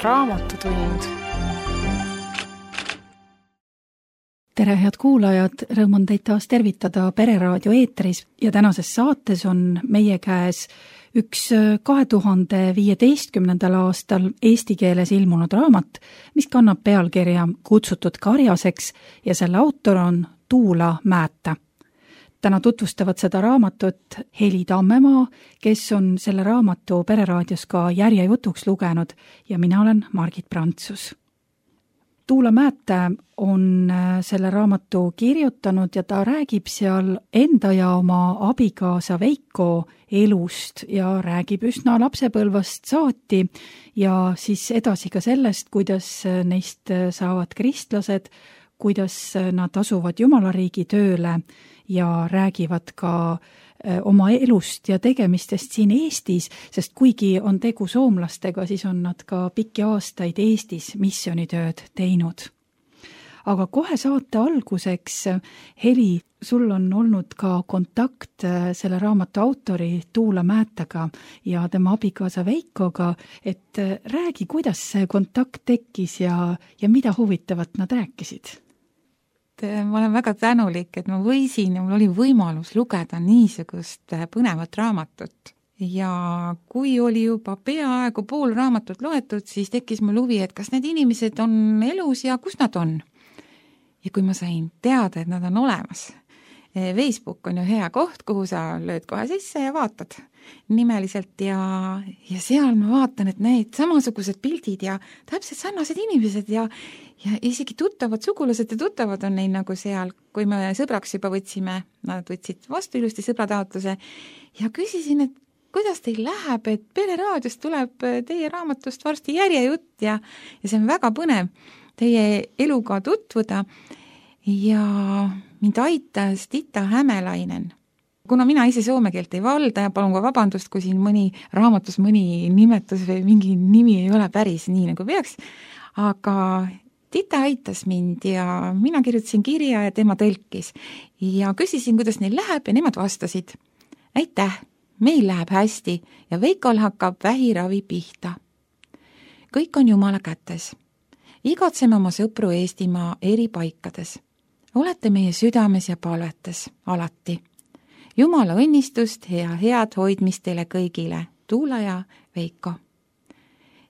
Raamatutund. Tere, head kuulajad, rõõm on teid taas tervitada Pereraadio eetris ja tänases saates on meie käes üks 2015. aastal eesti keeles ilmunud raamat, mis kannab pealkirja Kutsutud karjaseks ja selle autor on Tuula Määttä. Täna tutvustavad seda raamatut Heli Tammemaa, kes on selle raamatu Pereraadios ka järjejutuks lugenud ja mina olen Margit Prantsus. Tuula Määttä on selle raamatu kirjutanud ja ta räägib seal enda ja oma abikaasa Veiko elust ja räägib üsna lapsepõlvast saati ja siis edasi ka sellest, kuidas neist saavad kristlased, kuidas nad asuvad Jumalariigi tööle ja räägivad ka oma elust ja tegemistest siin Eestis, sest kuigi on tegu soomlastega, siis on nad ka pikki aastaid Eestis missioonitööd teinud. Aga kohe saate alguseks, Heli, sul on olnud ka kontakt selle raamatu autori Tuula Määttäga ja tema abikaasa Veikoga, et räägi, kuidas see kontakt tekkis ja mida huvitavat nad rääkisid? Ma olen väga tänulik, et ma võisin ja mul oli võimalus lugeda niisugust põnevat raamatut. Ja kui oli juba peaaegu pool raamatut loetud, siis tekkis mul huvi, et kas need inimesed on elus ja kus nad on. Ja kui ma sain teada, et nad on olemas, Facebook on ju hea koht, kuhu sa lööd kohe sisse ja vaatad nimeliselt ja seal ma vaatan, et need samasugused pildid ja täpselt sarnased inimesed ja isegi tuttavad sugulased ja tuttavad on neil nagu seal, kui me sõbraks juba võtsime, nad võtsid vastu ilusti sõbrataotluse ja küsisin, et kuidas teil läheb, et Pereraadios tuleb teie raamatust varsti järjejutt ja see on väga põnev teie eluga tutvuda ja mind aitas Tita Hämelainen. Kuna mina ise soome keelt ei valda ja palun ka vabandust, kui siin raamatus mõni nimetus või mingi nimi ei ole päris nii nagu peaks, aga Tita aitas mind ja mina kirjutasin kirja ja tema tõlkis ja küsisin, kuidas neil läheb ja nemad vastasid. Aitäh, meil läheb hästi ja Veikol hakkab vähiravi pihta. Kõik on Jumala kätes. Igatseme oma sõpru Eestimaa eri paikades. Olete meie südames ja palvetes alati. Jumala õnnistust ja head hoidmist teile kõigile, Tuula ja Veiko.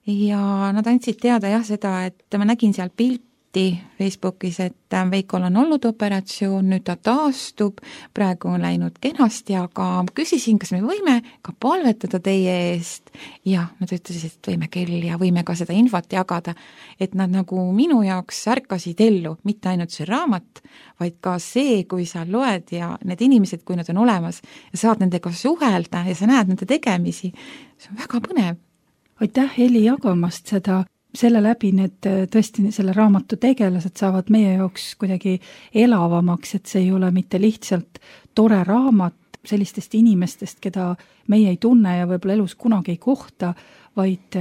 Ja nad andsid teada seda, et ma nägin seal pilti Facebookis, et Veikol on olnud operatsioon, nüüd ta taastub, praegu on läinud kenasti, aga küsisin, kas me võime ka palvetada teie eest. Ja nad ütlesid, et võime küll ja võime ka seda infot jagada, et nad nagu minu jaoks ärkasid ellu, mitte ainult see raamat, vaid ka see, kui sa loed ja need inimesed, kui nad on olemas ja saad nendega suhelda ja sa näed nende tegemisi, see on väga põnev. Aitäh, Heli, jagamast seda. Selle läbi need tõesti selle raamatu tegelased saavad meie jaoks kuidagi elavamaks, et see ei ole mitte lihtsalt tore raamat sellistest inimestest, keda meie ei tunne ja võib-olla elus kunagi ei kohta, vaid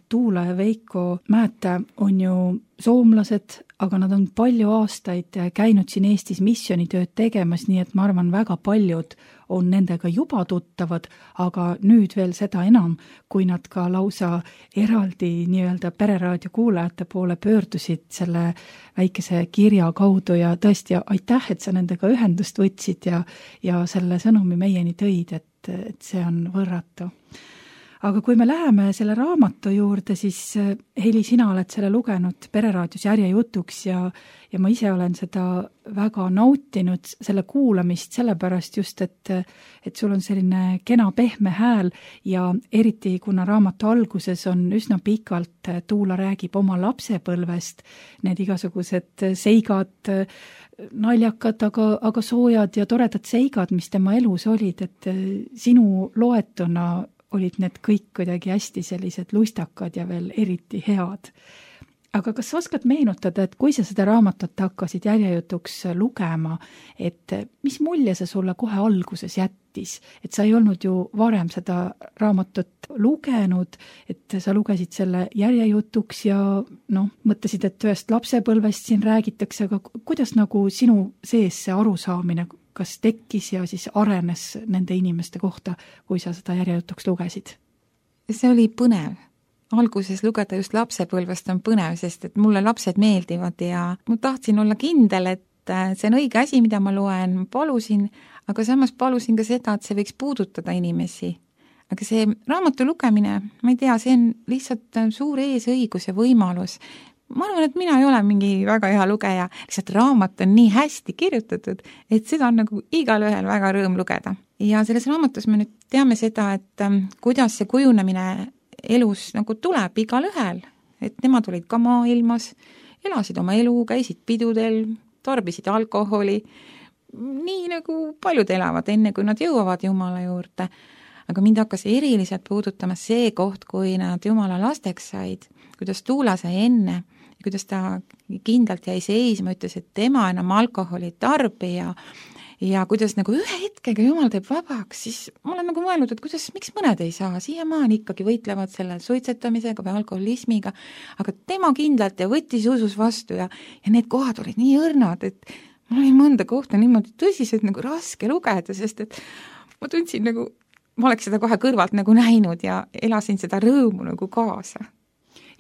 Tuula ja Veiko Määttä on ju soomlased, aga nad on palju aastaid käinud siin Eestis missioonitööd tegemas, nii et ma arvan, väga paljud on nendega juba tuttavad, aga nüüd veel seda enam, kui nad ka lausa eraldi nii-öelda Pereraadio kuulajate poole pöördusid selle väikese kirja kaudu ja tõesti aitäh, et sa nendega ühendust võtsid ja selle sõnumi meieni tõid, et see on võrratu. Aga kui me läheme selle raamatu juurde, siis Heli, sina oled selle lugenud Pereraadios järjejutuks ja ma ise olen seda väga nautinud, selle kuulamist sellepärast just, et sul on selline kena pehme hääl ja eriti kuna raamatu alguses on üsna pikalt, Tuula räägib oma lapsepõlvest, need igasugused seigad, naljakad, aga soojad ja toredad seigad, mis tema elus olid, et sinu loetuna olid need kõik kuidagi hästi sellised lustakad ja veel eriti head. Aga kas sa oskad meenutada, et kui sa seda raamatut hakkasid järjejutuks lugema, et mis mulje see sulle kohe alguses jättis? Et sa ei olnud ju varem seda raamatut lugenud, et sa lugesid selle järjejutuks ja mõtlesid, et ühest lapsepõlvest siin räägitakse, aga kuidas nagu sinu sees see arusaamine kas tekkis ja siis arenes nende inimeste kohta, kui sa seda järjejutuks lugesid? See oli põnev. alguses lugeda just lapsepõlvest on põnev, sest et mulle lapsed meeldivad ja ma tahtsin olla kindel, et see on õige asi, mida ma loen, ma palusin, aga samas palusin ka seda, et see võiks puudutada inimesi. Aga see raamatu lugemine, ma ei tea, see on lihtsalt suur eesõigus ja võimalus. Ma arvan, et mina ei ole mingi väga hea lugeja, lihtsalt raamat on nii hästi kirjutatud, et seda on nagu igal ühel väga rõõm lugeda. Ja selles raamatus me nüüd teame seda, et kuidas see kujunemine elus nagu tuleb igal ühel, et nemad olid ka maailmas, elasid oma elu, käisid pidudel, tarbisid alkoholi, nii nagu paljud elavad enne, kui nad jõuavad Jumala juurde. Aga mind hakkas eriliselt puudutama see koht, kui nad Jumala lasteks said, kuidas Tuula sai enne, kuidas ta kindlalt jäi seisma, ütles, et tema enam alkoholi tarbija ja kuidas nagu ühe hetkega Jumal teeb vabaks, siis ma olen nagu mõelnud, et kuidas, miks mõned ei saa, siiamaani ikkagi võitlevad selle suitsetamisega või alkoholismiga, aga tema kindlalt ja võttis usus vastu ja need kohad olid nii õrnad, et mul oli mõnda kohta niimoodi tõsiselt nagu raske lugeda, sest et ma tundsin nagu, ma oleks seda kohe kõrvalt nagu näinud ja elasin seda rõõmu nagu kaasa.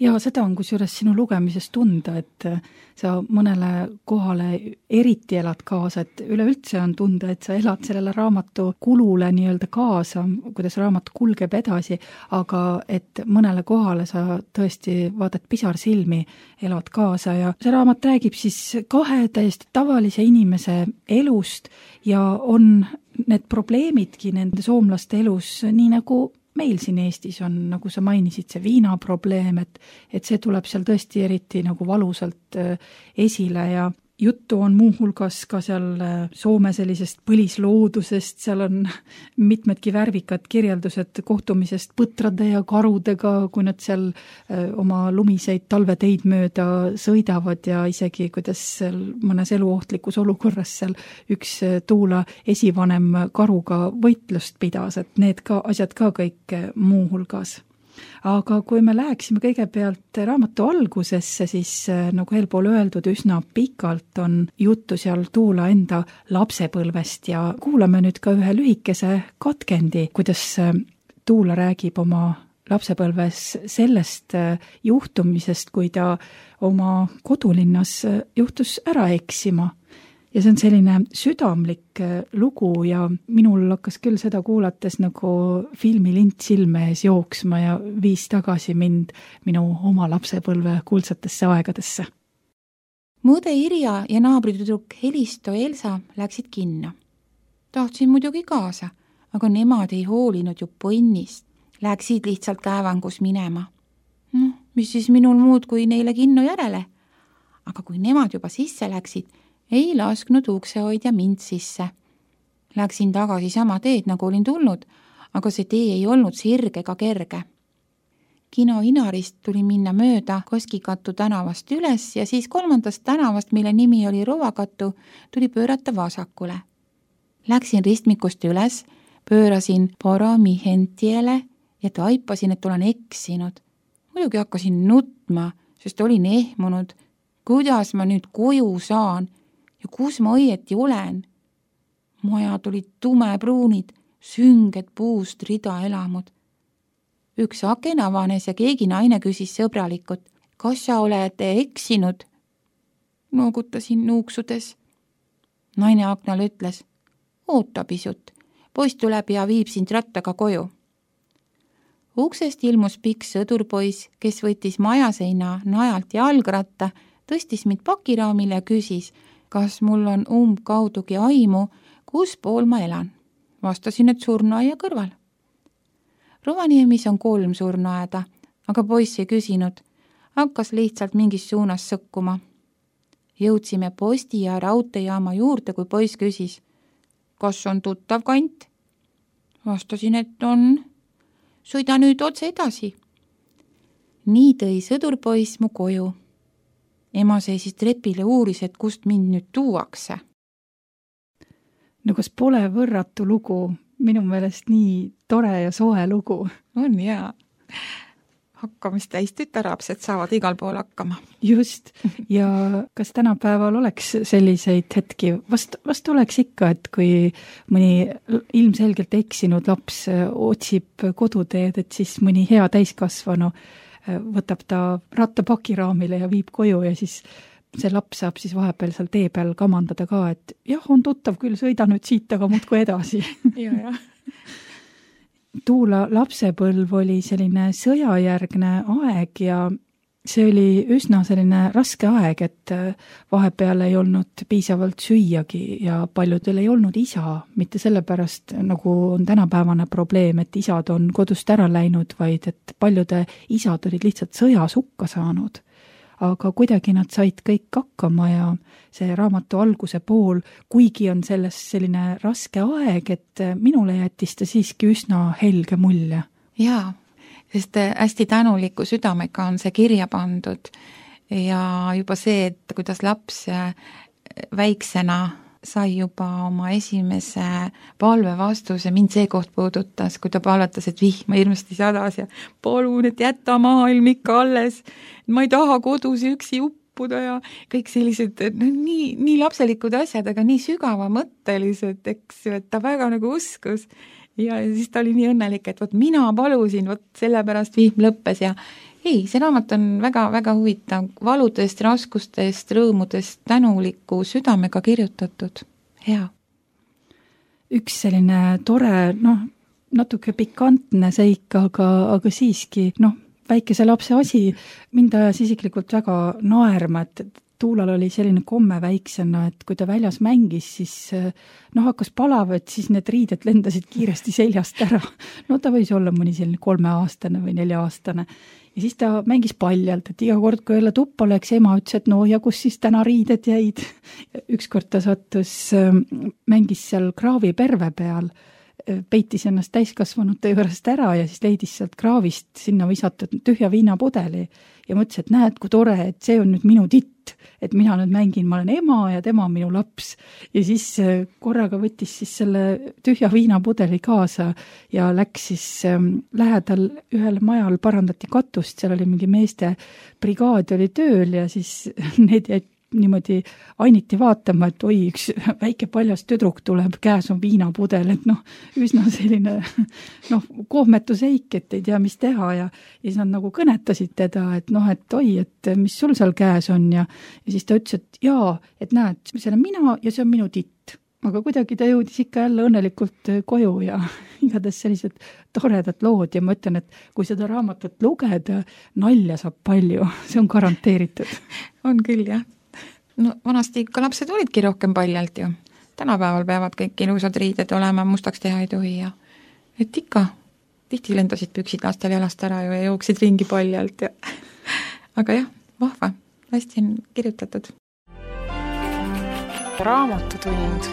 Ja seda on kusjuures sinu lugemisest tunda, et sa mõnele kohale eriti elad kaasa, et üleüldse on tunda, et sa elad sellele raamatu kulule nii-öelda kaasa, kuidas raamat kulgeb edasi, aga et mõnele kohale sa tõesti vaatad pisarsilmi, elad kaasa ja see raamat räägib siis kahe täiesti tavalise inimese elust ja on need probleemidki nende soomlaste elus nii nagu meil siin Eestis on, nagu sa mainisid, see viinaprobleem, et see tuleb seal tõesti eriti nagu valusalt esile ja juttu on muuhulgas ka seal Soome sellisest põlisloodusest, seal on mitmedki värvikad kirjeldused kohtumisest põtrade ja karudega, kui nad seal oma lumiseid talveteid mööda sõidavad ja isegi kuidas seal mõnes eluohtlikus olukorras seal üks Tuula esivanem karuga võitlust pidas, et need ka asjad ka kõik muuhulgas. Aga kui me läheksime kõigepealt raamatu algusesse, siis nagu eelpool öeldud, üsna pikalt on juttu seal Tuula enda lapsepõlvest ja kuulame nüüd ka ühe lühikese katkendi, kuidas Tuula räägib oma lapsepõlves sellest juhtumisest, kui ta oma kodulinnas juhtus ära eksima. Ja see on selline südamlik lugu ja minul hakkas küll seda kuulates nagu filmilint silme ees jooksma ja viis tagasi mind minu oma lapsepõlve kuldsatesse aegadesse. Mu õde Irja ja naabritüdruk Helisto Elsa läksid kinno. Tahtsin muidugi kaasa, aga nemad ei hoolinud ju põnnist. Läksid lihtsalt käevangus minema. Mis siis minul muud kui neile kinno järele? Aga kui nemad juba sisse läksid, ei lasknud uksehoidja mind sisse. Läksin tagasi sama teed, nagu olin tulnud, aga see tee ei olnud sirge ega kerge. Kino Inarist tuli minna mööda Koskikattu tänavast üles ja siis 3. tänavast, mille nimi oli Rovakattu, tuli pöörata vasakule. Läksin ristmikust üles, pöörasin Poromihentiele ja taipasin, et olen eksinud. Muidugi hakkasin nutma, sest olin ehmunud. Kuidas ma nüüd koju saan? Ja kus ma õieti olen? Majad olid tumepruunid, sünged puust rida elamud. Üks aken avanes ja keegi naine küsis sõbralikult, kas sa oled eksinud? Noogutasin nuuksudes. Naine aknal ütles, oota pisut, poiss tuleb ja viib sind rattaga koju. Uksest ilmus pikk sõdurpoiss, kes võttis majaseina najalt jalgratta, tõstis mind pakiraamile ja küsis, kas mul on umbkaudugi aimu, kus pool ma elan. Vastasin, et surnuaia kõrval. Rovaniemis on 3 surnuaeda, aga poiss ei küsinud. Hakkas lihtsalt mingis suunas sõkkuma. Jõudsime posti ja raudteejaama juurde, kui poiss küsis, kas on tuttav kant? Vastasin, et on. Sõida nüüd otse edasi. Nii tõi sõdurpoiss mu koju. Ema seisis trepile uuris, et kust mind nüüd tuuakse. No kas pole võrratu lugu? Minu meelest nii tore ja soe lugu. On jaa. Hakkamist täis tütarlapsed saavad igal pool hakkama. Just. Ja kas tänapäeval oleks selliseid hetki? Vast oleks ikka, et kui mõni ilmselgelt eksinud laps otsib koduteed, et siis mõni hea täiskasvanu võtab ta ratta pakiraamile ja viib koju ja siis see laps saab siis vahepeal seal tee peal kamandada ka, et jah, on tuttav küll, sõida nüüd siit, aga muudkui edasi. Ja. Tuula lapsepõlv oli selline sõjajärgne aeg ja see oli üsna selline raske aeg, et vahepeal ei olnud piisavalt süüagi ja paljudel ei olnud isa, mitte sellepärast, nagu on tänapäevane probleem, et isad on kodust ära läinud, vaid et paljude isad olid lihtsalt sõjas hukka saanud. Aga kuidagi nad said kõik hakkama ja see raamatu alguse pool, kuigi on selles selline raske aeg, et minule jättis ta siiski üsna helge mulje. Jaa, sest hästi tänuliku südamega on see kirja pandud ja juba see, et kuidas laps väiksena sai juba oma esimese palve vastuse, mind see koht puudutas, kui ta palvetas, et vihma hirmsasti sadas ja palun, et jäta maailm ikka alles, ma ei taha kodus üksi uppuda ja kõik sellised nii lapselikud asjad, aga nii sügavamõttelised, eks ju, et ta väga nagu uskus. Ja siis ta oli nii õnnelik, et võt mina palusin, võt sellepärast vihm lõppes ja ei, see raamat on väga-väga huvitav, valudest, raskustest, rõõmudest, tänuliku südamega kirjutatud. Hea. Üks selline tore, natuke pikantne seik, aga siiski, väikese lapse asi, mind ajas isiklikult väga naerma, et Tuulal oli selline komme väiksena, et kui ta väljas mängis, siis hakkas palav, et siis need riided lendasid kiiresti seljast ära. Ta võis olla mõni selline 3-aastane või 4-aastane. Ja siis ta mängis paljalt, et iga kord, kui jälle tuppa läks, ema ütles, et ja kus siis täna riided jäid. Ükskord ta sattus, mängis seal kraaviperve peal, peitis ennast täiskasvanute juurest ära ja siis leidis sealt kraavist sinna visatud tühja viinapudeli ja mõtles, et näed, kui tore, et see on nüüd minu titt, et mina nüüd mängin, ma olen ema ja tema on minu laps. Ja siis korraga võttis siis selle tühja viinapudeli kaasa ja läks siis lähedal ühel majal parandati katust, seal oli mingi meeste brigaad oli tööl ja siis need jäid niimoodi ainiti vaatama, et oi, üks väike paljas tüdruk tuleb, käes on viinapudel, et üsna selline kohmetuseik, et ei tea, mis teha ja siis nad nagu kõnetasid teda, et et oi, et mis sul seal käes on ja siis ta ütles, et jaa, et näed, see olen mina ja see on minu titt. Aga kuidagi ta jõudis ikka jälle õnnelikult koju ja igatahes sellised toredad lood ja ma ütlen, et kui seda raamatut lugeda, nalja saab palju, see on garanteeritud. On küll, jah. Vanasti ikka lapsed olidki rohkem paljalt ju. Tänapäeval peavad kõik ilusad riided olema, mustaks teha ei tohi ja et ikka, tihti lendasid püksid lastel jalast ära ju ja jooksid ringi paljalt ja aga jah, vahva, hästi on kirjutatud. Raamatutund.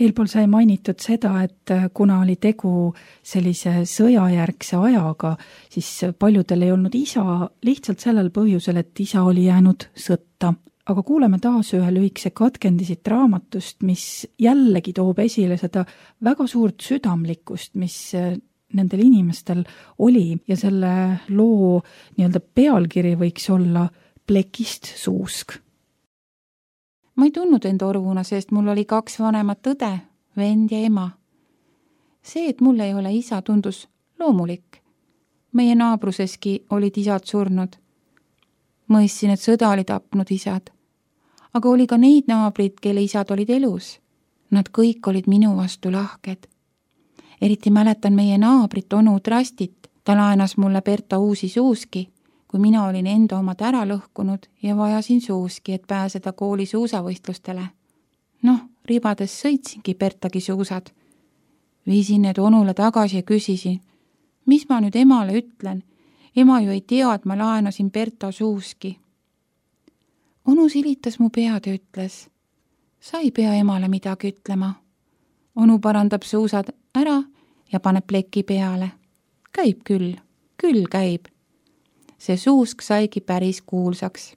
Eelpool sai mainitud seda, et kuna oli tegu sellise sõjajärgse ajaga, siis paljudel ei olnud isa lihtsalt sellel põhjusel, et isa oli jäänud sõtta. Aga kuuleme taas ühe lühikese katkendi siit raamatust, mis jällegi toob esile seda väga suurt südamlikkust, mis nendel inimestel oli ja selle loo nii-öelda pealkiri võiks olla Plekist suusk. Ma ei tundnud enda orvuna, sest mul oli 2 vanemat õde, vend ja ema. See, et mul ei ole isa, tundus loomulik. Meie naabruseski olid isad surnud. Mõistsin, et sõda oli tapnud isad. Aga oli ka neid naabrid, kelle isad olid elus. Nad kõik olid minu vastu lahked. Eriti mäletan meie naabrit onu Trastit. Ta laenas mulle Berta uusi suuski, kui mina olin enda omad ära lõhkunud ja vajasin suuski, et pääseda kooli suusavõistlustele. Ribades sõitsingi Bertagi suusad. Viisin need onule tagasi ja küsisin, mis ma nüüd emale ütlen? Ema ju ei tea, et ma laenasin Berta suuski. Onu silitas mu pead ja ütles, sa ei pea emale midagi ütlema. Onu parandab suusad ära ja paneb pleki peale. Käib küll käib. See suusk saigi päris kuulsaks.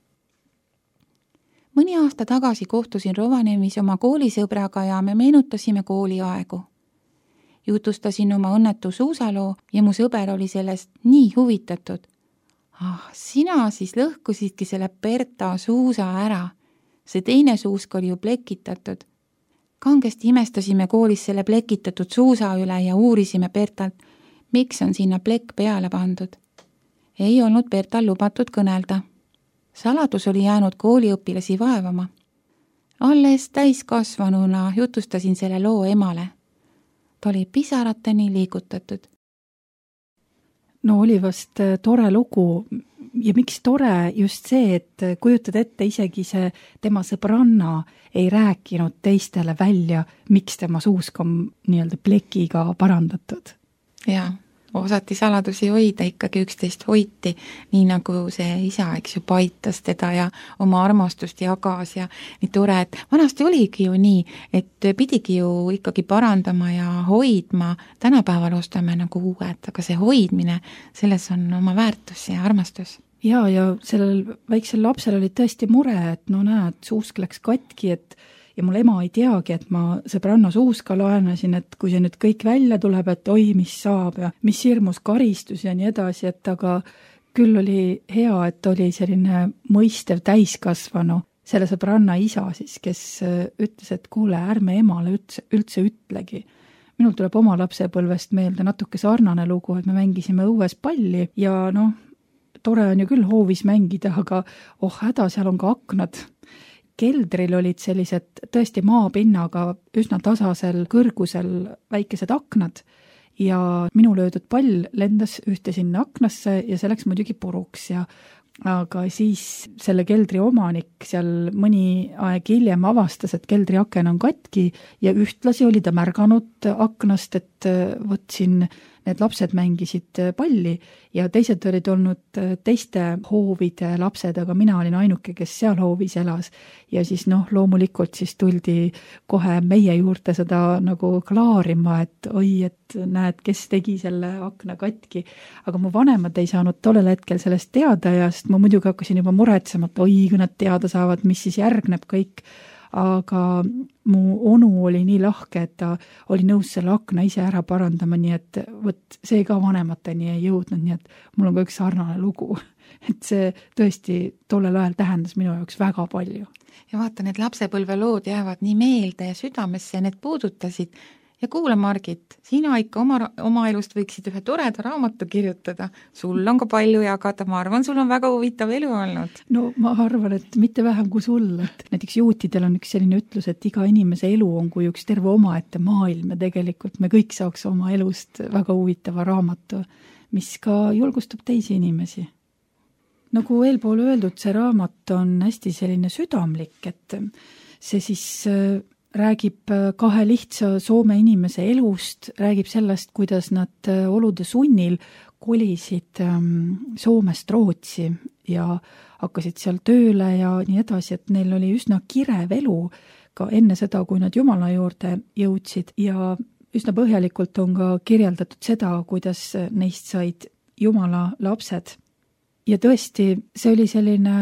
Mõni aasta tagasi kohtusin Rovaniemis oma koolisõbraga ja me meenutasime kooliaegu. Jutustasin oma õnnetu suusaloo ja mu sõber oli sellest nii huvitatud. Sina siis lõhkusidki selle Berta suusa ära. See teine suusk oli ju plekitatud. Kangesti imestasime koolis selle plekitatud suusa üle ja uurisime Bertalt, miks on sinna plekk peale pandud. Ei olnud Bertal lubatud kõnelda. Saladus oli jäänud kooliõpilasi vaevama. Alles täiskasvanuna jutustasin selle loo emale. Ta oli pisarateni liigutatud. No oli vast tore lugu ja miks tore just see, et kujutad ette, isegi see tema sõbranna ei rääkinud teistele välja, miks tema suusk on nii-öelda plekiga parandatud. Jaa, osati saladusi hoida, ikkagi üksteist hoiti, nii nagu see isa, eks ju, paitas teda ja oma armastust jagas ja nii tore, et vanasti oligi ju nii, et pidigi ju ikkagi parandama ja hoidma, tänapäeval ostame nagu uued, aga see hoidmine, selles on oma väärtus ja armastus. Ja sellel väiksel lapsel oli tõesti mure, et no näed, suusk läks katki, ja mul ema ei teagi, et ma sõbranna suuska laenasin, et kui see nüüd kõik välja tuleb, et oi, mis saab ja mis hirmus karistus ja nii edasi, et aga küll oli hea, et oli selline mõistev täiskasvanu, selle sõbranna isa siis, kes ütles, et kuule, ärme emale üldse ütlegi. Minul tuleb oma lapsepõlvest meelde natuke sarnane lugu, et me mängisime õues palli ja noh, tore on ju küll hoovis mängida, aga häda, seal on ka aknad. Keldril olid sellised tõesti maapinnaga üsna tasasel kõrgusel väikesed aknad ja minu löödud pall lendas ühte sinna aknasse ja see läks muidugi puruks aga siis selle keldri omanik seal mõni aeg hiljem avastas, et keldri aken on katki ja ühtlasi oli ta märganud aknast, et võt siin need lapsed mängisid palli ja teised olid olnud teiste hoovide lapsed, aga mina olin ainuke, kes seal hoovis elas. Ja siis loomulikult siis tuldi kohe meie juurde seda nagu klaarima, et oi, et näed, kes tegi selle akna katki. Aga mu vanemad ei saanud tollel hetkel sellest teada ja sest ma muidugi hakkasin juba muretsema, et oi, kui nad teada saavad, mis siis järgneb kõik. Aga mu onu oli nii lahke, et ta oli nõus selle akna ise ära parandama, nii et võt, see ka vanemateni ei jõudnud, nii et mul on ka üks sarnane lugu. Et see tõesti tollel ajal tähendas minu jaoks väga palju. Ja vaata, need lapsepõlvelood jäävad nii meelde ja südamesse ja need puudutasid. Ja kuule, Margit, sina ikka oma elust võiksid ühe toreda raamatu kirjutada. Sul on ka palju jagada, ma arvan, sul on väga huvitav elu olnud. No ma arvan, et mitte vähem kui sul. Et näiteks juutidel on üks selline ütlus, et iga inimese elu on kui üks terve omaette maailm ja tegelikult me kõik saaks oma elust väga huvitava raamatu, mis ka julgustab teisi inimesi. Nagu eelpool öeldud, see raamat on hästi selline südamlik, et see siis räägib kahe lihtsa Soome inimese elust, räägib sellest, kuidas nad olude sunnil kolisid Soomest Rootsi ja hakkasid seal tööle ja nii edasi, et neil oli üsna kirev elu ka enne seda, kui nad Jumala juurde jõudsid ja üsna põhjalikult on ka kirjeldatud seda, kuidas neist said Jumala lapsed. Ja tõesti, see oli selline,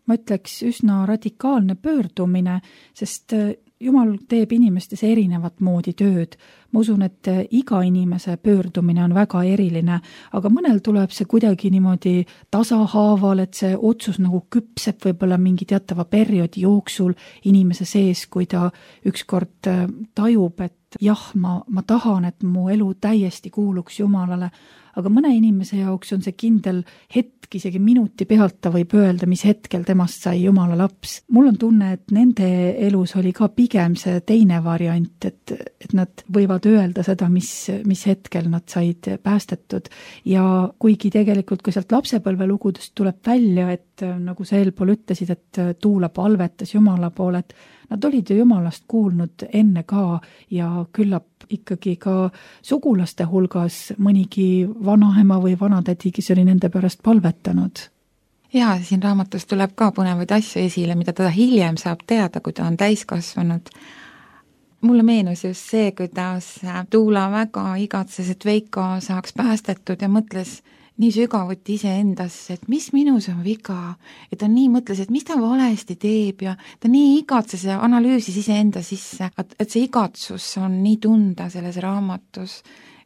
ma ütleks, üsna radikaalne pöördumine, sest Jumal teeb inimestes erinevat moodi tööd. Ma usun, et iga inimese pöördumine on väga eriline, aga mõnel tuleb see kuidagi niimoodi tasahaaval, et see otsus nagu küpseb võib-olla mingi teatava perioodi jooksul inimese sees, kui ta ükskord tajub, et jah, ma tahan, et mu elu täiesti kuuluks Jumalale, aga mõne inimese jaoks on see kindel hetk, isegi minuti pealt ta võib öelda, mis hetkel temast sai Jumala laps. Mul on tunne, et nende elus oli ka pigem see teine variant, et nad võivad öelda seda, mis hetkel nad said päästetud. Ja kuigi tegelikult ka sealt lapsepõlvelugudest tuleb välja, et nagu sa eelpool ütlesid, et Tuula palvetas Jumala poole, et nad olid ju Jumalast kuulnud enne ka ja küllap ikkagi ka sugulaste hulgas mõnigi vanaema või vanatädi, kes oli nende pärast palvetanud. Ja siin raamatus tuleb ka põnevaid asju esile, mida ta hiljem saab teada, kui ta on täiskasvanud. Mulle meenus just see, kuidas Tuula väga igatses, et Veiko saaks päästetud ja mõtles nii sügavuti iseendasse, et mis minus on viga, et ta nii mõtles, et mis ta valesti teeb ja ta nii igatses ja analüüsis iseenda sisse, et see igatsus on nii tunda selles raamatus,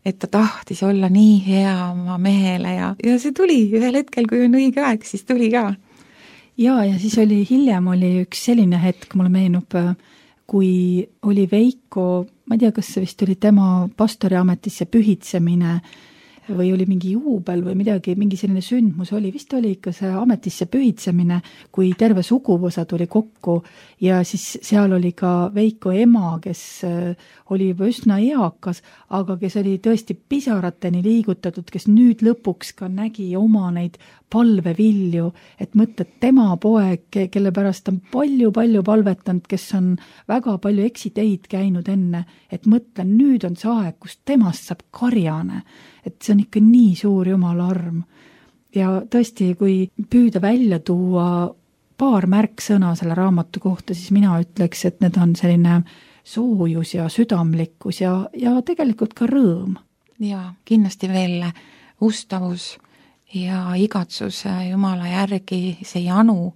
et ta tahtis olla nii hea oma mehele ja see tuli ühel hetkel, kui on õige aeg, siis tuli ka. Ja siis hiljem oli üks selline hetk, mulle meenub, kui oli Veiko, ma ei tea, kas see vist oli tema pastori ametisse pühitsemine või oli mingi juubel või midagi, mingi selline sündmus oli, vist oli ikka see ametisse pühitsemine, kui terve suguvõsa tuli kokku ja siis seal oli ka Veiko ema, kes oli juba üsna eakas, aga kes oli tõesti pisarateni liigutatud, kes nüüd lõpuks ka nägi oma neid palvevilju, et mõtled tema poeg, kelle pärast on palju-palju palvetanud, kes on väga palju eksiteid käinud enne, et mõtlen, nüüd on see aeg, kus temast saab karjane, et see on ikka nii suur Jumala arm. Ja tõesti, kui püüda välja tuua paar märksõna selle raamatu kohta, siis mina ütleks, et need on selline soojus ja südamlikkus ja tegelikult ka rõõm. Ja kindlasti veel ustavus ja igatsus Jumala järgi, see janu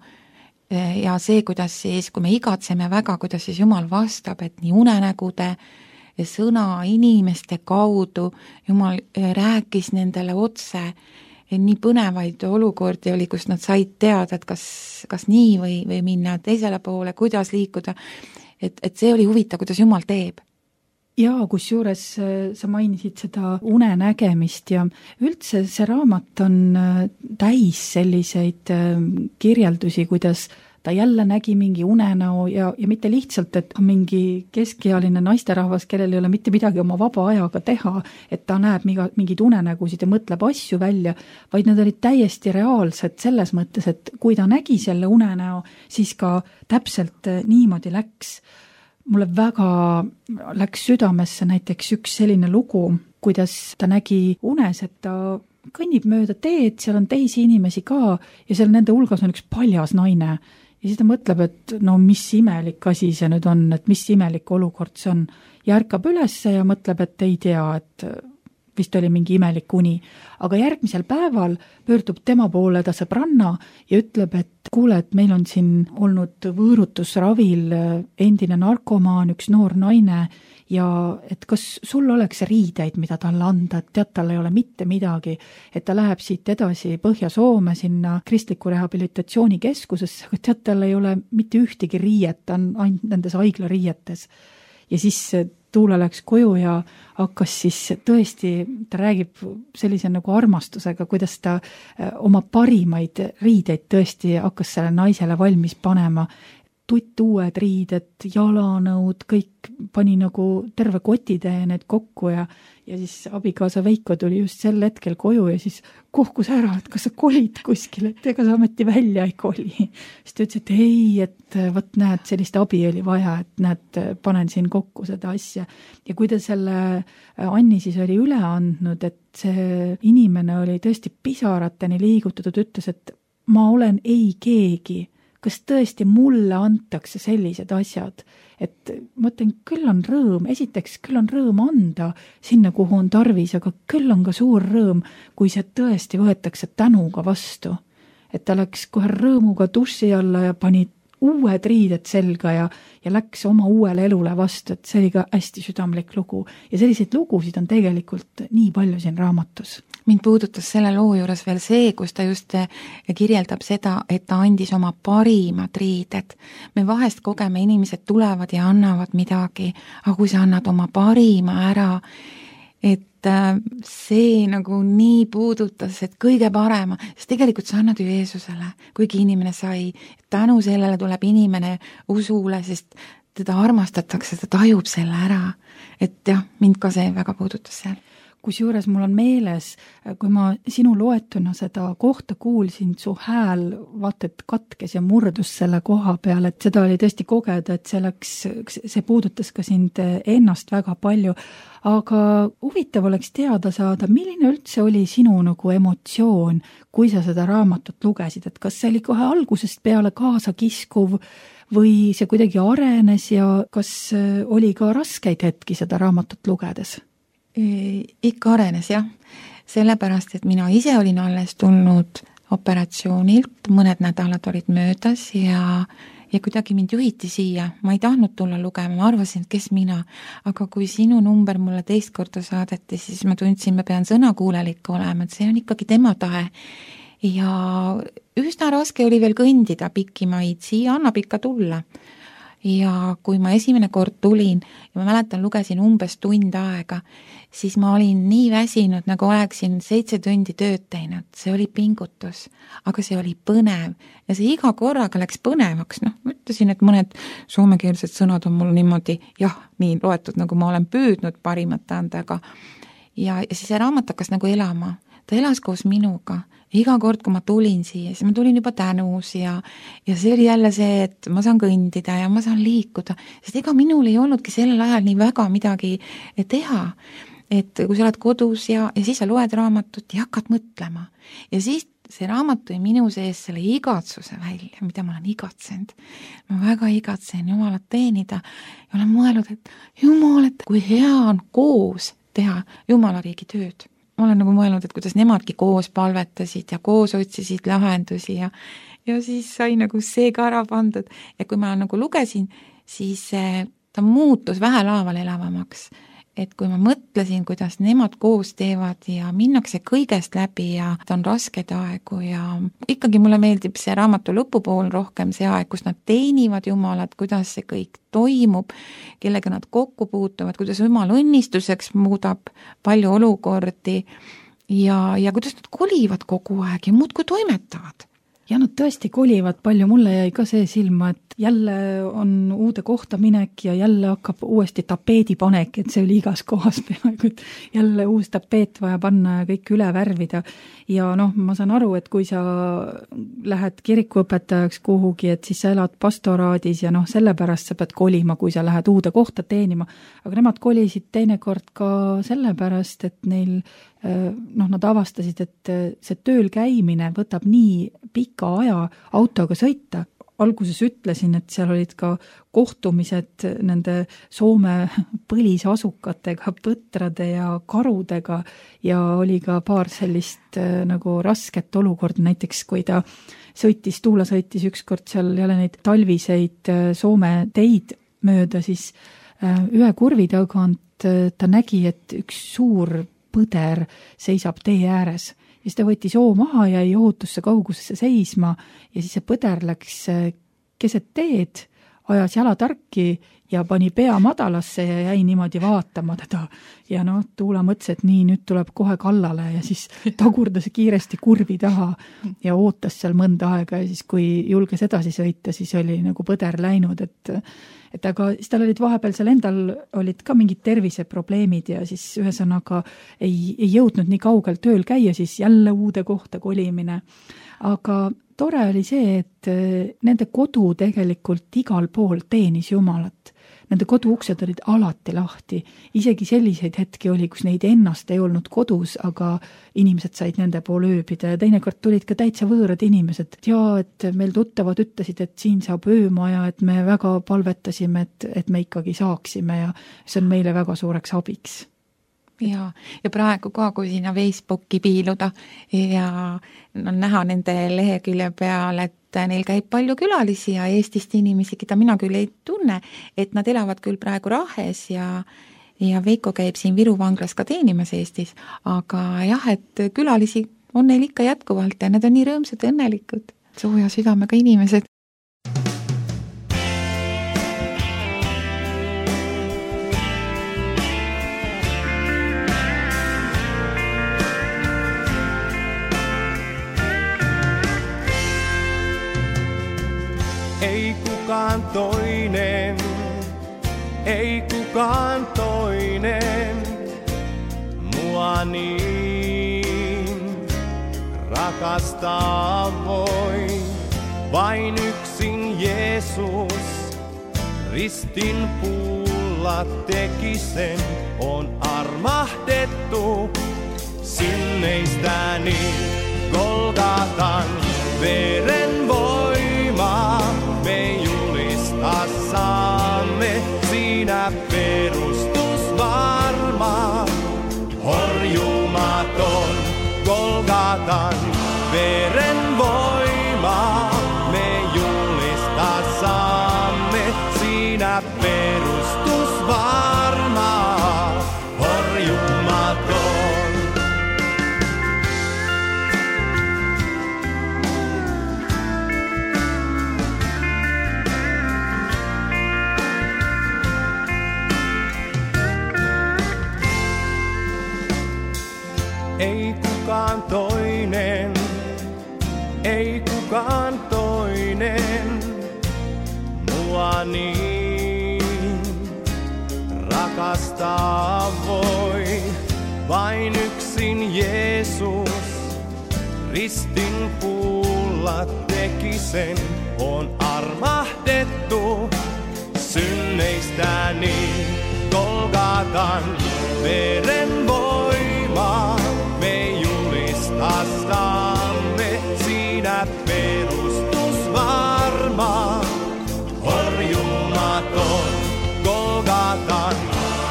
ja see, kuidas siis, kui me igatseme väga, kuidas siis Jumal vastab, et nii unenägude sõna inimeste kaudu Jumal rääkis nendele otse, nii põnevaid olukordi oli, kus nad said teada, et kas nii või minna teisele poole, kuidas liikuda, et see oli huvitav, kuidas Jumal teeb. Jaa, kusjuures sa mainisid seda unenägemist ja üldse see raamat on täis selliseid kirjeldusi, kuidas ta jälle nägi mingi unenäo ja mitte lihtsalt, et mingi keskealine naisterahvas, kellel ei ole mitte midagi oma vaba ajaga teha, et ta näeb mingeid unenägusid ja mõtleb asju välja, vaid need olid täiesti reaalsed selles mõttes, et kui ta nägi selle unenäo, siis ka täpselt niimoodi läks. Mulle väga läks südamesse näiteks üks selline lugu, kuidas ta nägi unes, et ta kõnnib mööda teed, seal on teisi inimesi ka ja seal nende hulgas on üks paljas naine. Ja siis ta mõtleb, et no mis imelik asi see nüüd on, et mis imelik olukord see on. Ja ärkab ülesse ja mõtleb, et ei tea, et vist oli mingi imelik uni. Aga järgmisel päeval pöördub tema poole ta sõbranna ja ütleb, et kuule, et meil on siin olnud võõrutusravil endine narkomaan, üks noor naine ja et kas sul oleks riideid, mida talle anda, et tead, tal ei ole mitte midagi, et ta läheb siit edasi Põhja-Soome sinna kristliku rehabilitatsioonikeskusesse, aga tead, tal ei ole mitte ühtegi riiet, ta on ainult nendes haiglariietes. Ja siis Tuula läks koju ja hakkas siis tõesti, ta räägib sellise nagu armastusega, kuidas ta oma parimaid riideid tõesti hakkas selle naisele valmis panema. Uued riided, jalanõud, kõik pani nagu terve kotitäie need kokku ja siis abikaasa Veiko tuli just sel hetkel koju ja siis kohkus ära, et kas sa kolid kuskil, et ega sa ometi välja ei koli. Siis ta ütles, et ei, et võt näed, sellist abi oli vaja, et näed, panen siin kokku seda asja. Ja kui ta selle Anni siis oli üle andnud, et see inimene oli tõesti pisarateni liigutatud, ütles, et ma olen ei keegi, kas tõesti mulle antakse sellised asjad, et ma ütlen, küll on rõõm, esiteks küll on rõõm anda sinna, kuhu on tarvis, aga küll on ka suur rõõm, kui see tõesti võetakse tänuga vastu. Et ta läks kohe rõõmuga duši alla ja pani uued riided selga ja läks oma uuele elule vastu, et see oli ka hästi südamlik lugu. Ja selliseid lugusid on tegelikult nii palju siin raamatus. Mind puudutas selle loo juures veel see, kus ta just kirjeldab seda, et ta andis oma parimad riided. Me vahest kogeme, inimesed tulevad ja annavad midagi, aga kui sa annad oma parima ära, et see nagu nii puudutas, et kõige parema, sest tegelikult sa annad ju Jeesusele, kuigi inimene sai, tänu sellele tuleb inimene usule, sest teda armastatakse, ta tajub selle ära, et jah, mind ka see väga puudutas seal. Kusjuures mul on meeles, kui ma sinu loetuna seda kohta kuulsin, su hääl vaata, et katkes ja murdus selle koha peal, et seda oli tõesti kogeda, et see puudutas ka sind ennast väga palju. Aga huvitav oleks teada saada, milline üldse oli sinu nagu emotsioon, kui sa seda raamatut lugesid, et kas see oli kohe algusest peale kaasa kiskuv või see kuidagi arenes ja kas oli ka raskeid hetki seda raamatut lugedes? Ikka arenes, jah. Sellepärast, et mina ise olin alles tulnud operatsioonilt, mõned nädalad olid möödas ja kuidagi mind juhiti siia. Ma ei tahtnud tulla lugema, ma arvasin, et kes mina. Aga kui sinu number mulle teist korda saadeti, siis ma tundsin, ma pean sõnakuulelik olema, et see on ikkagi tema tahe. Ja üsna raske oli veel kõndida pikki maid, siia annab ikka tulla. ja kui ma esimene kord tulin ja ma mäletan, lugesin umbes tund aega, siis ma olin nii väsinud, nagu oleksin 7 tundi tööd teinud, see oli pingutus, aga see oli põnev ja see iga korraga läks põnevaks, ma ütlesin, et mõned soomekeelsed sõnad on mul niimoodi, nii loetud, nagu ma olen püüdnud parimat anda, aga ja siis see raamat hakkas nagu elama, ta elas koos minuga. Iga kord, kui ma tulin siia, siis ma tulin juba tänus ja see oli jälle see, et ma saan kõndida ja ma saan liikuda, sest ega minul ei olnudki sellel ajal nii väga midagi teha, et kui sa oled kodus ja siis sa loed raamatut ja hakkad mõtlema ja siis see raamat tõi minu sees selle igatsuse välja, mida ma olen igatsenud. Ma väga igatsen Jumalat teenida ja olen mõelnud, et Jumal, et kui hea on koos teha Jumala riigi tööd. Ma olen nagu mõelnud, et kuidas nemadki koos palvetasid ja koos otsisid lahendusi ja siis sai nagu see ka ära pandud. Ja kui ma nagu lugesin, siis ta muutus vähelaaval elavamaks. Et kui ma mõtlesin, kuidas nemad koos teevad ja minnakse kõigest läbi ja ta on rasked aegu ja ikkagi mulle meeldib see raamatu lõpupool rohkem see aeg, kus nad teenivad Jumalat, kuidas see kõik toimub, kellega nad kokku puutuvad, kuidas Jumal õnnistuseks muudab palju olukordi ja kuidas nad kolivad kogu aeg ja muudkui toimetavad. Ja nad tõesti kolivad palju, mulle jäi ka see silma, et jälle on uude kohta minek ja jälle hakkab uuesti tapeedipanek, et see oli igas kohas peaaegu, et jälle uus tapeet vaja panna ja kõik üle värvida. Ja ma saan aru, et kui sa lähed kirikuõpetajaks kuhugi, et siis sa elad pastoraadis ja sellepärast sa pead kolima, kui sa lähed uude kohta teenima. Aga nemad kolisid teinekord ka sellepärast, et neil nad avastasid, et see tööl käimine võtab nii pika aja autoga sõita. Alguses ütlesin, et seal olid ka kohtumised nende Soome põlisasukatega, põtrade ja karudega ja oli ka paar sellist nagu rasket olukorda, näiteks kui Tuula sõitis ükskord seal jälle neid talviseid Soome teid mööda, siis ühe kurvi tagant ta nägi, et üks suur põder seisab tee ääres ja siis ta võttis hoo maha ja jäi ohutusse kaugusesse seisma ja siis see põder läks keset teed, ajas jalatarki ja pani pea madalasse ja jäi niimoodi vaatama teda ja Tuula mõtles, et nii, nüüd tuleb kohe kallale ja siis tagurdas kiiresti kurvi taha ja ootas seal mõnda aega ja siis kui julges edasi sõita, siis oli nagu põder läinud, et aga siis tal olid vahepeal seal endal olid ka mingid terviseprobleemid ja siis ühesõnaga ei jõudnud nii kaugel tööl käia, siis jälle uude kohta kolimine. Aga tore oli see, et nende kodu tegelikult igal pool teenis Jumalat. Nende koduuksed olid alati lahti. Isegi selliseid hetki oli, kus neid ennast ei olnud kodus, aga inimesed said nende pool ööbida ja teinekord tulid ka täitsa võõrad inimesed. Ja et meil tuttavad ütlesid, et siin saab öömaja, et me väga palvetasime, et me ikkagi saaksime ja see on meile väga suureks abiks. Ja praegu ka, kui sinna Facebooki piiluda ja on näha nende lehekülje peal, et neil käib palju külalisi ja Eestist inimesi, keda mina küll ei tunne, et nad elavad küll praegu Rahes ja Veiko käib siin Viru vanglas ka teenimas Eestis, aga jah, et külalisi on neil ikka jätkuvalt ja need on nii rõõmsad ja õnnelikud, sooja südamega inimesed. Ei kukaan toinen mua niin rakastaa voi. Vain yksin Jeesus ristin puulla teki sen, on armahdettu synneistäni Golgatan veren voima. Me julistaa saamme siinä perustus varma, horjumaton Golgatan veren voima. Me julistaa saamme siinä perustus varma, horjumaton. nainen mua niin rakastaa voi. Vain yksin Jeesus ristin puulla teki sen, on armahdettu synneistäni. Golgatan veren voima me julistamme, siinä perustus varma, horjumaton. Golgatan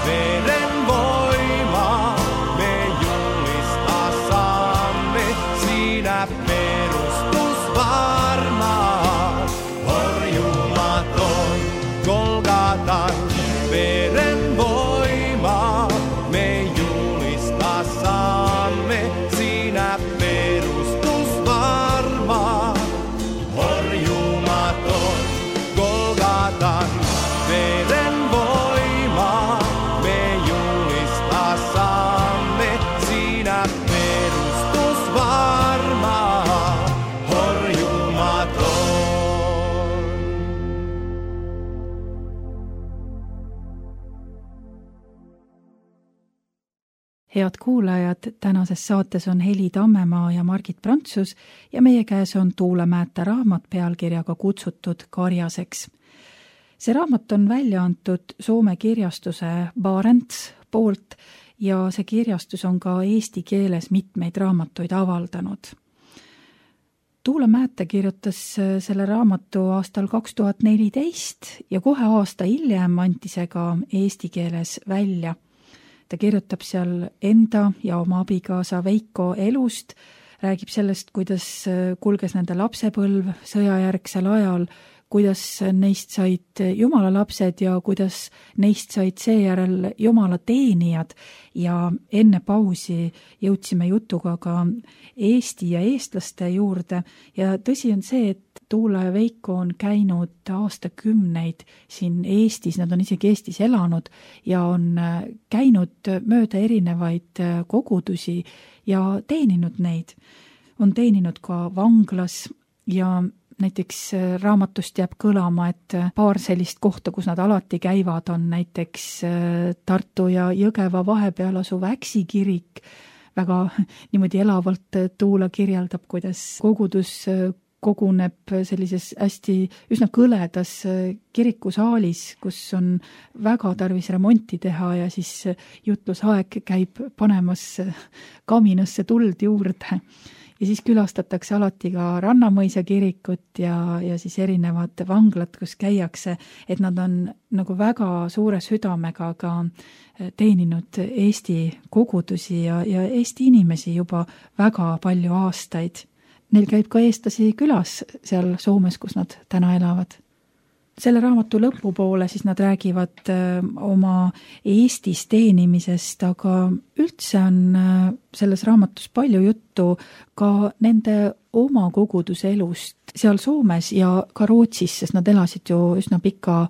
veren voima me julistamme, siinä perustus varma, horjumaton. Golgatan veren voima me julistamme, siinä perustus varma, horjumaton. Golgatan veren voima me julistamme, siinä perustus varma, horjumaton. Head kuulajad, tänases saates on Heli Tammemaa ja Margit Prantsus ja meie käes on Tuulemäete raamat pealkirjaga Kutsutud karjaseks. See raamat on välja antud Soome kirjastuse Barents poolt ja see kirjastus on ka eesti keeles mitmeid raamatuid avaldanud. Tuulemäete kirjutas selle raamatu aastal 2014 ja kohe aasta hiljem anti see ka eesti keeles välja. Ta kirjutab seal enda ja oma abikaasa Veiko elust, räägib sellest, kuidas kulges nende lapsepõlv sõjajärgsel ajal, kuidas neist said Jumala lapsed ja kuidas neist said seejärel Jumala teenijad ja enne pausi jõudsime jutuga ka Eesti ja eestlaste juurde ja tõsi on see, et Tuula ja Veiko on käinud aastakümneid siin Eestis, nad on isegi Eestis elanud ja on käinud mööda erinevaid kogudusi ja teeninud neid. On teeninud ka vanglas ja näiteks raamatust jääb kõlama, et paar sellist kohta, kus nad alati käivad, on näiteks Tartu ja Jõgeva vahepeal asuv Äksi kirik. Väga niimoodi elavalt Tuula kirjeldab, kuidas kogudus koguneb sellises hästi üsna kõledas kirikusaalis, kus on väga tarvis remonti teha ja siis jutlusaeg käib panemas kaminasse tuld juurde. Ja siis külastatakse alati ka Rannamõisa kirikut ja siis erinevad vanglad, kus käiakse, et nad on nagu väga suure südamega ka teeninud Eesti kogudusi ja Eesti inimesi juba väga palju aastaid. Neil käib ka eestlasi külas seal Soomes, kus nad täna elavad. Selle raamatu lõpupoole siis nad räägivad oma Eestis teenimisest, aga üldse on selles raamatus palju juttu ka nende oma koguduse elust seal Soomes ja ka Rootsis, sest nad elasid ju üsna pika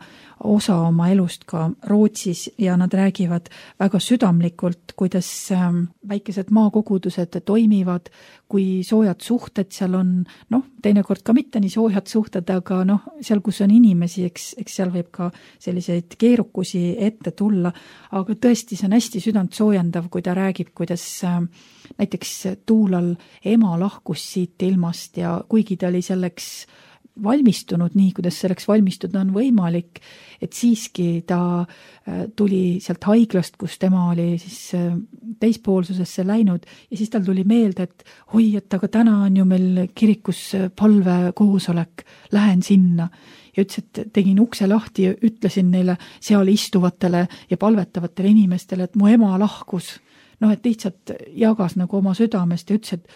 osa oma elust ka Rootsis ja nad räägivad väga südamlikult, kuidas väikesed maakogudused toimivad, kui soojad suhted seal on, teinekord ka mitte nii soojad suhted, aga seal, kus on inimesi, eks seal võib ka selliseid keerukusi ette tulla, aga tõesti see on hästi südant soojendav, kui ta räägib, kuidas näiteks Tuulal ema lahkus siit ilmast ja kuigi ta oli selleks valmistunud nii, kuidas selleks valmistuda on võimalik, et siiski ta tuli sealt haiglast, kus tema oli siis teispoolsusesse läinud ja siis tal tuli meelde, et et aga täna on ju meil kirikus palvekoosolek, lähen sinna ja ütles, et tegin ukse lahti ja ütlesin neile seal istuvatele ja palvetavatele inimestele, et mu ema lahkus. Et lihtsalt jagas nagu oma südamest ja ütles, et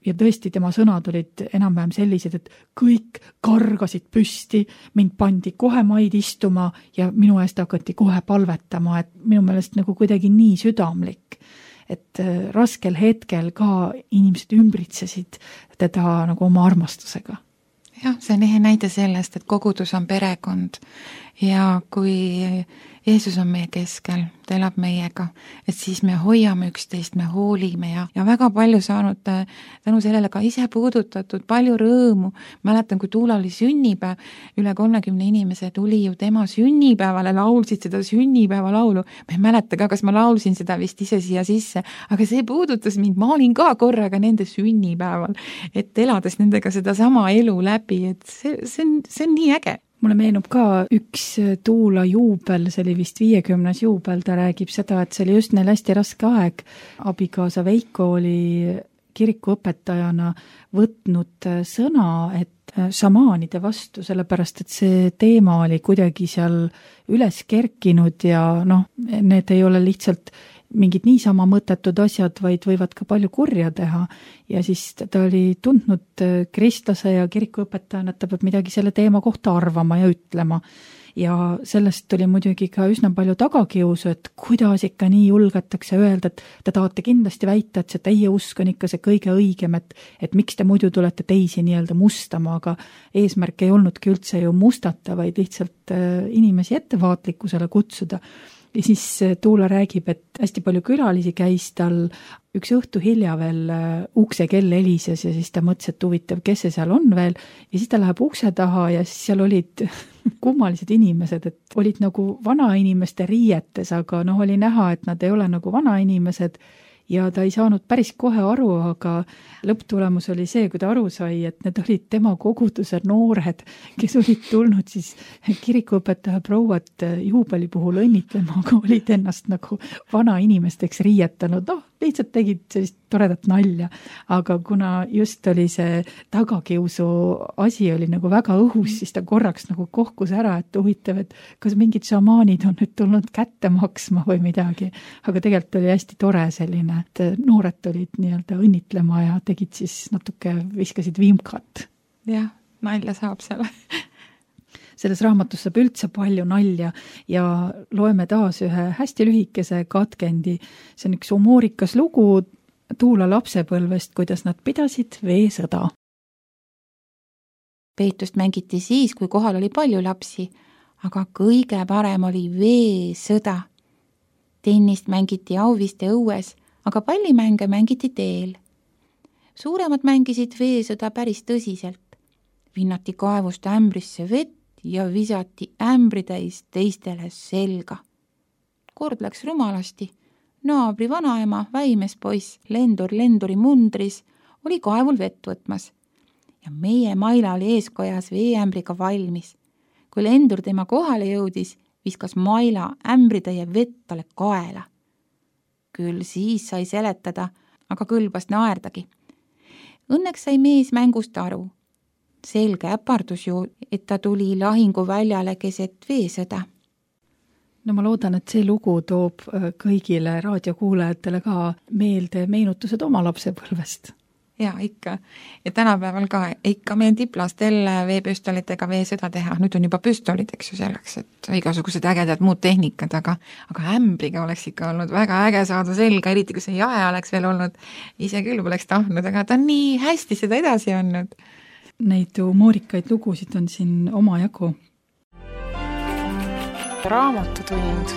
ja tõesti tema sõnad olid enam-vähem sellised, et kõik kargasid püsti, mind pandi kohe maid istuma ja minu eest hakati kohe palvetama, et minu meelest nagu kuidagi nii südamlik, et raskel hetkel ka inimesed ümbritsesid teda nagu oma armastusega. Jah, see on ehe näide sellest, et kogudus on perekond ja kui Jeesus on meie keskel, ta elab meiega, et siis me hoiame üksteist, me hoolime ja väga palju saanud tänu sellele ka ise puudutatud, palju rõõmu. Mäletan, kui Tuula oli sünnipäev, üle 30 inimese tuli ju tema sünnipäevale, laulsid seda sünnipäevalaulu. Ma ei mäleta ka, kas ma laulsin seda vist ise siia sisse, aga see puudutas mind, ma olin ka korraga nende sünnipäeval, et elades nendega seda sama elu läbi, et see on nii äge. Mulle meenub ka üks Tuula juubel, see oli vist 50. juubel, ta räägib seda, et see oli just neil hästi raske aeg. Abikaasa Veiko oli kirikuõpetajana võtnud sõna, et šamaanide vastu, sellepärast et see teema oli kuidagi seal üles kerkinud ja need ei ole lihtsalt mingid niisama mõttetud asjad, vaid võivad ka palju kurja teha. Ja siis ta oli tundnud kristlase ja kirikuõpetajana, et ta peab midagi selle teema kohta arvama ja ütlema. Ja sellest tuli muidugi ka üsna palju tagakiusu, et kuidas ikka nii julgetakse öelda, et te tahate kindlasti väita, et see teie usk on ikka see kõige õigem, et miks te muidu tulete teisi nii-öelda mustama, aga eesmärk ei olnudki üldse ju mustata, vaid lihtsalt inimesi ettevaatlikkusele kutsuda. Ja siis Tuula räägib, et hästi palju külalisi käis tal üks õhtu hilja veel ukse kell helises ja siis ta mõtles, et huvitav, kes see seal on veel. Ja siis ta läheb ukse taha ja siis seal olid kummalised inimesed, et olid nagu vanainimeste riietes, aga oli näha, et nad ei ole nagu vanainimesed. Ja ta ei saanud päris kohe aru, aga lõpptulemus oli see, kui ta aru sai, et need olid tema koguduse noored, kes olid tulnud siis kirikuõpetaja prouat juubeli puhul õnnitlema, aga olid ennast nagu vanainimesteks riietanud. Lihtsalt tegid sellist toredat nalja, aga kuna just oli see tagakiusu asi oli nagu väga õhus, siis ta korraks nagu kohkus ära, et huvitav, et kas mingid šamaanid on nüüd tulnud kätte maksma või midagi, aga tegelikult oli hästi tore selline, et noored tulid nii-öelda õnnitlema ja tegid siis natuke, viskasid vimkat. Jah, nalja saab selle. Selles raamatus saab üldse palju nalja ja loeme taas ühe hästi lühikese katkendi. See on üks humoorikas lugu Tuula lapsepõlvest, kuidas nad pidasid veesõda. Peetust mängiti siis, kui kohal oli palju lapsi, aga kõige parem oli veesõda. Tennist mängiti Auviste õues, aga pallimänge mängiti teel. Suuremad mängisid veesõda päris tõsiselt. Vinnati kaevust ämbrisse vett ja visati ämbritäis teistele selga. Kord läks rumalasti. Naabri vanaema, väimes poiss, lendur lenduri mundris, oli kaevul vett võtmas. Ja meie Maila oli eeskojas veeämbriga valmis. Kui lendur tema kohale jõudis, viskas Maila ämbritäie vett talle kaela. Küll siis sai seletada, aga kõlbas naerdagi. Õnneks sai mees mängust aru. Selge äpardus ju, et ta tuli lahinguväljale keset veesõda. No ma loodan, et see lugu toob kõigile raadiokuulajatele ka meelde meenutused oma lapsepõlvest. Ja ikka. Ja tänapäeval ka ikka meeldib lastel veepüstolitega veesõda teha. Nüüd on juba püstolid, eks ju selleks, et igasugused ägedad muud tehnikad, aga ämbriga oleks ikka olnud väga äge saada selga, eriti kui see jae oleks veel olnud. Ise küll poleks tahtnud, aga ta on nii hästi seda edasi olnud. Neid humoorikaid lugusid on siin oma jagu. Raamatutund.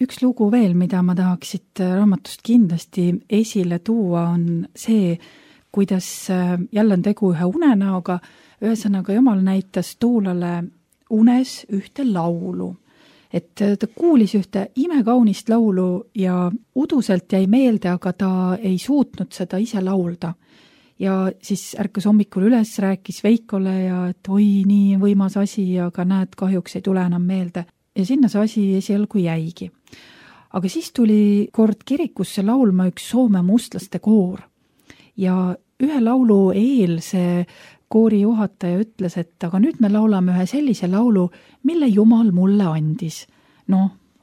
Üks lugu veel, mida ma tahaksid raamatust kindlasti esile tuua, on see, kuidas jälle on tegu ühe unenäoga. Ühesõnaga, Jumal näitas Tuulale unes ühte laulu. Et ta kuulis ühte imekaunist laulu ja uduselt jäi meelde, aga ta ei suutnud seda ise laulda. Ja siis ärkas hommikul üles, rääkis Veikole ja et oi, nii võimas asi, aga näed, kahjuks ei tule enam meelde. Ja sinna see asi esialgu jäigi. Aga siis tuli kord kirikusse laulma üks Soome mustlaste koor. Ja ühe laulu eel see koori juhataja ütles, et aga nüüd me laulame ühe sellise laulu, mille Jumal mulle andis.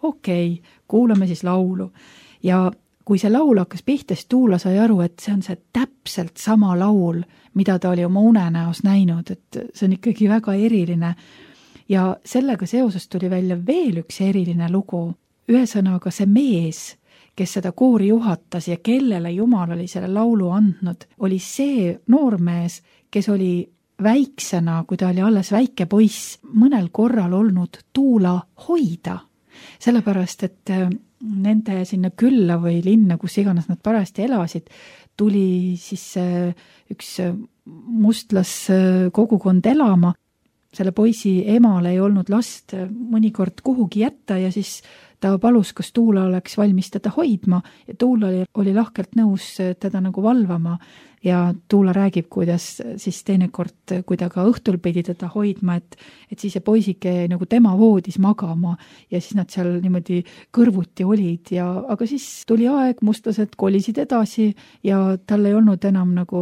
Okei, kuulame siis laulu. Ja kui see laul hakkas pihtes, Tuula sai aru, et see on see täpselt sama laul, mida ta oli oma unenäos näinud, et see on ikkagi väga eriline. Ja sellega seoses tuli välja veel üks eriline lugu. Ühesõnaga see mees, kes seda koori juhatas ja kellele Jumal oli selle laulu andnud, oli see noormees, kes oli väiksena, kui ta oli alles väike poiss, mõnel korral olnud Tuula hoida, sellepärast, et nende sinna külla või linna, kus iganes nad parajasti elasid, tuli siis üks mustlas kogukond elama. Selle poisi emal ei olnud last mõnikord kuhugi jätta ja siis ta palus, kas Tuula oleks valmis teda hoidma ja Tuula oli lahkelt nõus teda nagu valvama ja Tuula räägib, kuidas siis teinekord, kui ta ka õhtul pidi teda hoidma, et siis see poisike nagu tema voodis magama ja siis nad seal niimoodi kõrvuti olid aga siis tuli aeg, mustlased kolisid edasi ja tal ei olnud enam nagu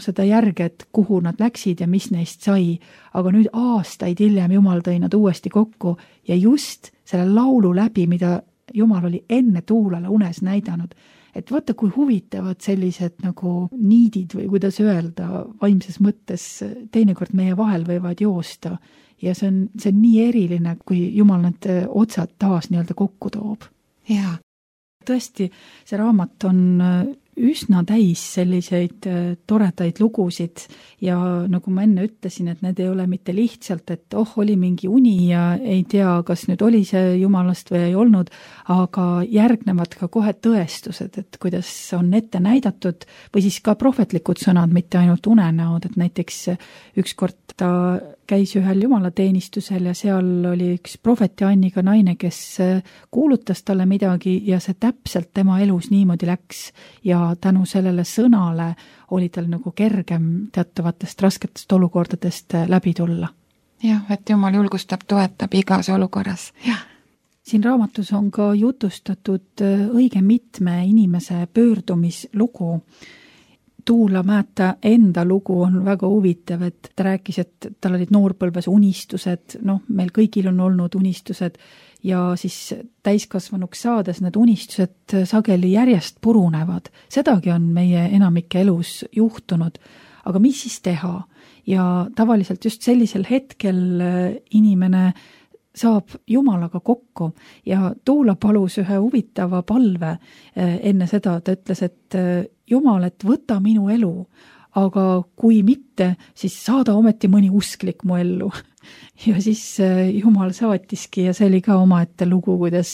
seda järge, et kuhu nad läksid ja mis neist sai, aga nüüd aastaid hiljem Jumal tõi nad uuesti kokku ja just selle laulu läbi, mida Jumal oli enne Tuulale unes näidanud, et vaata, kui huvitavad sellised nagu niidid või kuidas öelda vaimses mõttes teinekord meie vahel võivad joosta ja see on nii eriline, kui Jumal need otsad taas nii-öelda kokku toob. Jaa. Tõesti, see raamat on üsna täis selliseid toredaid lugusid ja nagu ma enne ütlesin, et need ei ole mitte lihtsalt, et oli mingi uni ja ei tea, kas nüüd oli see Jumalast või ei olnud, aga järgnevad ka kohe tõestused, et kuidas on ette näidatud või siis ka prohvetlikud sõnad, mitte ainult unenäod, et näiteks ükskord ta käis ühel jumalateenistusel ja seal oli üks prohveti Anniga naine, kes kuulutas talle midagi ja see täpselt tema elus niimoodi läks ja tänu sellele sõnale oli tal nagu kergem teatavatest rasketest olukordadest läbi tulla. Jah, et Jumal julgustab, toetab igas olukorras. Jah. Siin raamatus on ka jutustatud õige mitme inimese pöördumislugu. Tuula Määta enda lugu on väga huvitav, et ta rääkis, et tal olid noorpõlves unistused, meil kõigil on olnud unistused ja siis täiskasvanuks saades need unistused sageli järjest purunevad. Sedagi on meie enamike elus juhtunud, aga mis siis teha? Ja tavaliselt just sellisel hetkel inimene saab Jumalaga kokku ja Tuula palus ühe huvitava palve enne seda, ta ütles, et Jumal, et võta minu elu, aga kui mitte, siis saada ometi mõni usklik mu ellu. Ja siis Jumal saatiski ja see oli ka omaette lugu, kuidas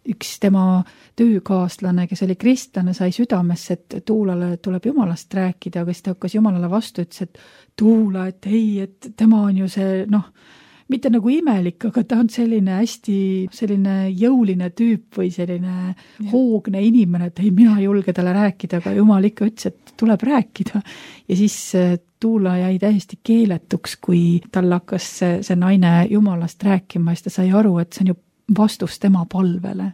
üks tema töökaaslane, kes oli kristlane, sai südamesse, et Tuulale tuleb Jumalast rääkida, aga siis ta hakkas Jumalale vastu, ütles, et Tuula, et ei, et tema on ju see, mitte nagu imelik, aga ta on selline hästi selline jõuline tüüp või selline hoogne inimene, et ei, mina ei julge talle rääkida, aga Jumal ikka ütles, et tuleb rääkida. Ja siis Tuula jäi täiesti keeletuks, kui tal hakkas see naine Jumalast rääkima, siis ta sai aru, et see on ju vastus tema palvele.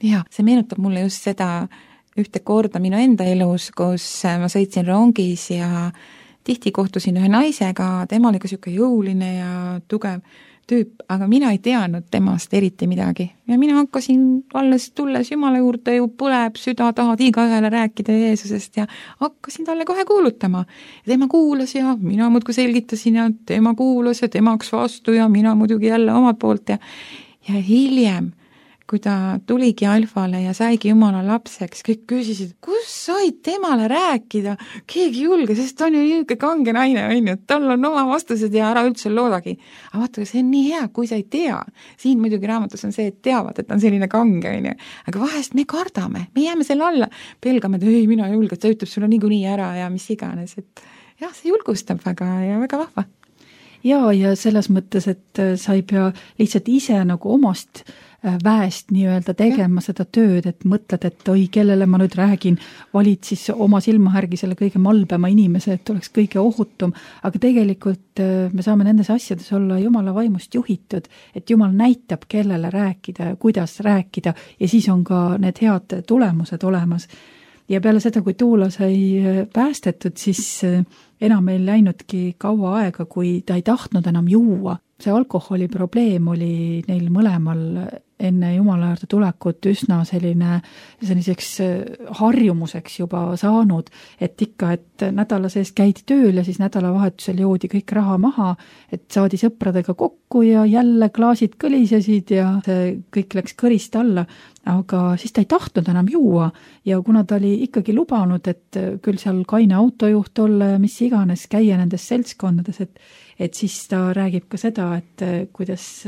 Jah, see meenutab mulle just seda ühte korda minu enda elus, kus ma sõitsin rongis ja tihti kohtusin ühe naisega, tema oli ka siuke jõuline ja tugev tüüp, aga mina ei teadnud temast eriti midagi. Ja mina hakkasin alles tulles Jumala juurde ju põleb süda, tahad igaühele rääkida Jeesusest ja hakkasin talle kohe kuulutama. Ja tema kuulas ja mina muudkui selgitasin ja tema kuulas ja temaks vastu ja mina muidugi jälle omalt poolt ja hiljem, kui ta tuligi Alfale ja saigi Jumala lapseks, kõik küsisid, kus said temale rääkida, keegi julge, sest ta on ju niisugune kange naine, et tal on oma vastused ja ära üldse loodagi. Aga vaata, see on nii hea, kui sa ei tea. Siin muidugi raamatus on see, et teavad, et ta on selline kange, aga vahest me kardame, me jääme selle alla, pelgame, et ei, mina ei julge, et ta ütleb sulle niikuinii ära ja mis iganes, et jah, see julgustab väga ja väga vahva. Ja selles mõttes, et sa ei pea lihtsalt ise nagu omast väest nii-öelda tegema seda tööd, et mõtled, et oi, kellele ma nüüd räägin, valid siis oma silmahärgi selle kõige malbema inimese, et oleks kõige ohutum, aga tegelikult me saame nendes asjades olla Jumala vaimust juhitud, et Jumal näitab, kellele rääkida ja kuidas rääkida ja siis on ka need head tulemused olemas. Ja peale seda, kui Tuula sai päästetud, siis enam ei läinudki kaua aega, kui ta ei tahtnud enam juua. See alkoholi probleem oli neil mõlemal enne Jumala juurde tulekut üsna selliseks harjumuseks juba saanud, et ikka, et nädala sees käidi tööl ja siis nädalavahetusel joodi kõik raha maha, et saadi sõpradega kokku ja jälle klaasid kõlisesid ja see kõik läks kõrist alla, aga siis ta ei tahtnud enam juua ja kuna ta oli ikkagi lubanud, et küll seal kaine autojuht olla ja mis iganes käia nendes seltskondades, et siis ta räägib ka seda, et kuidas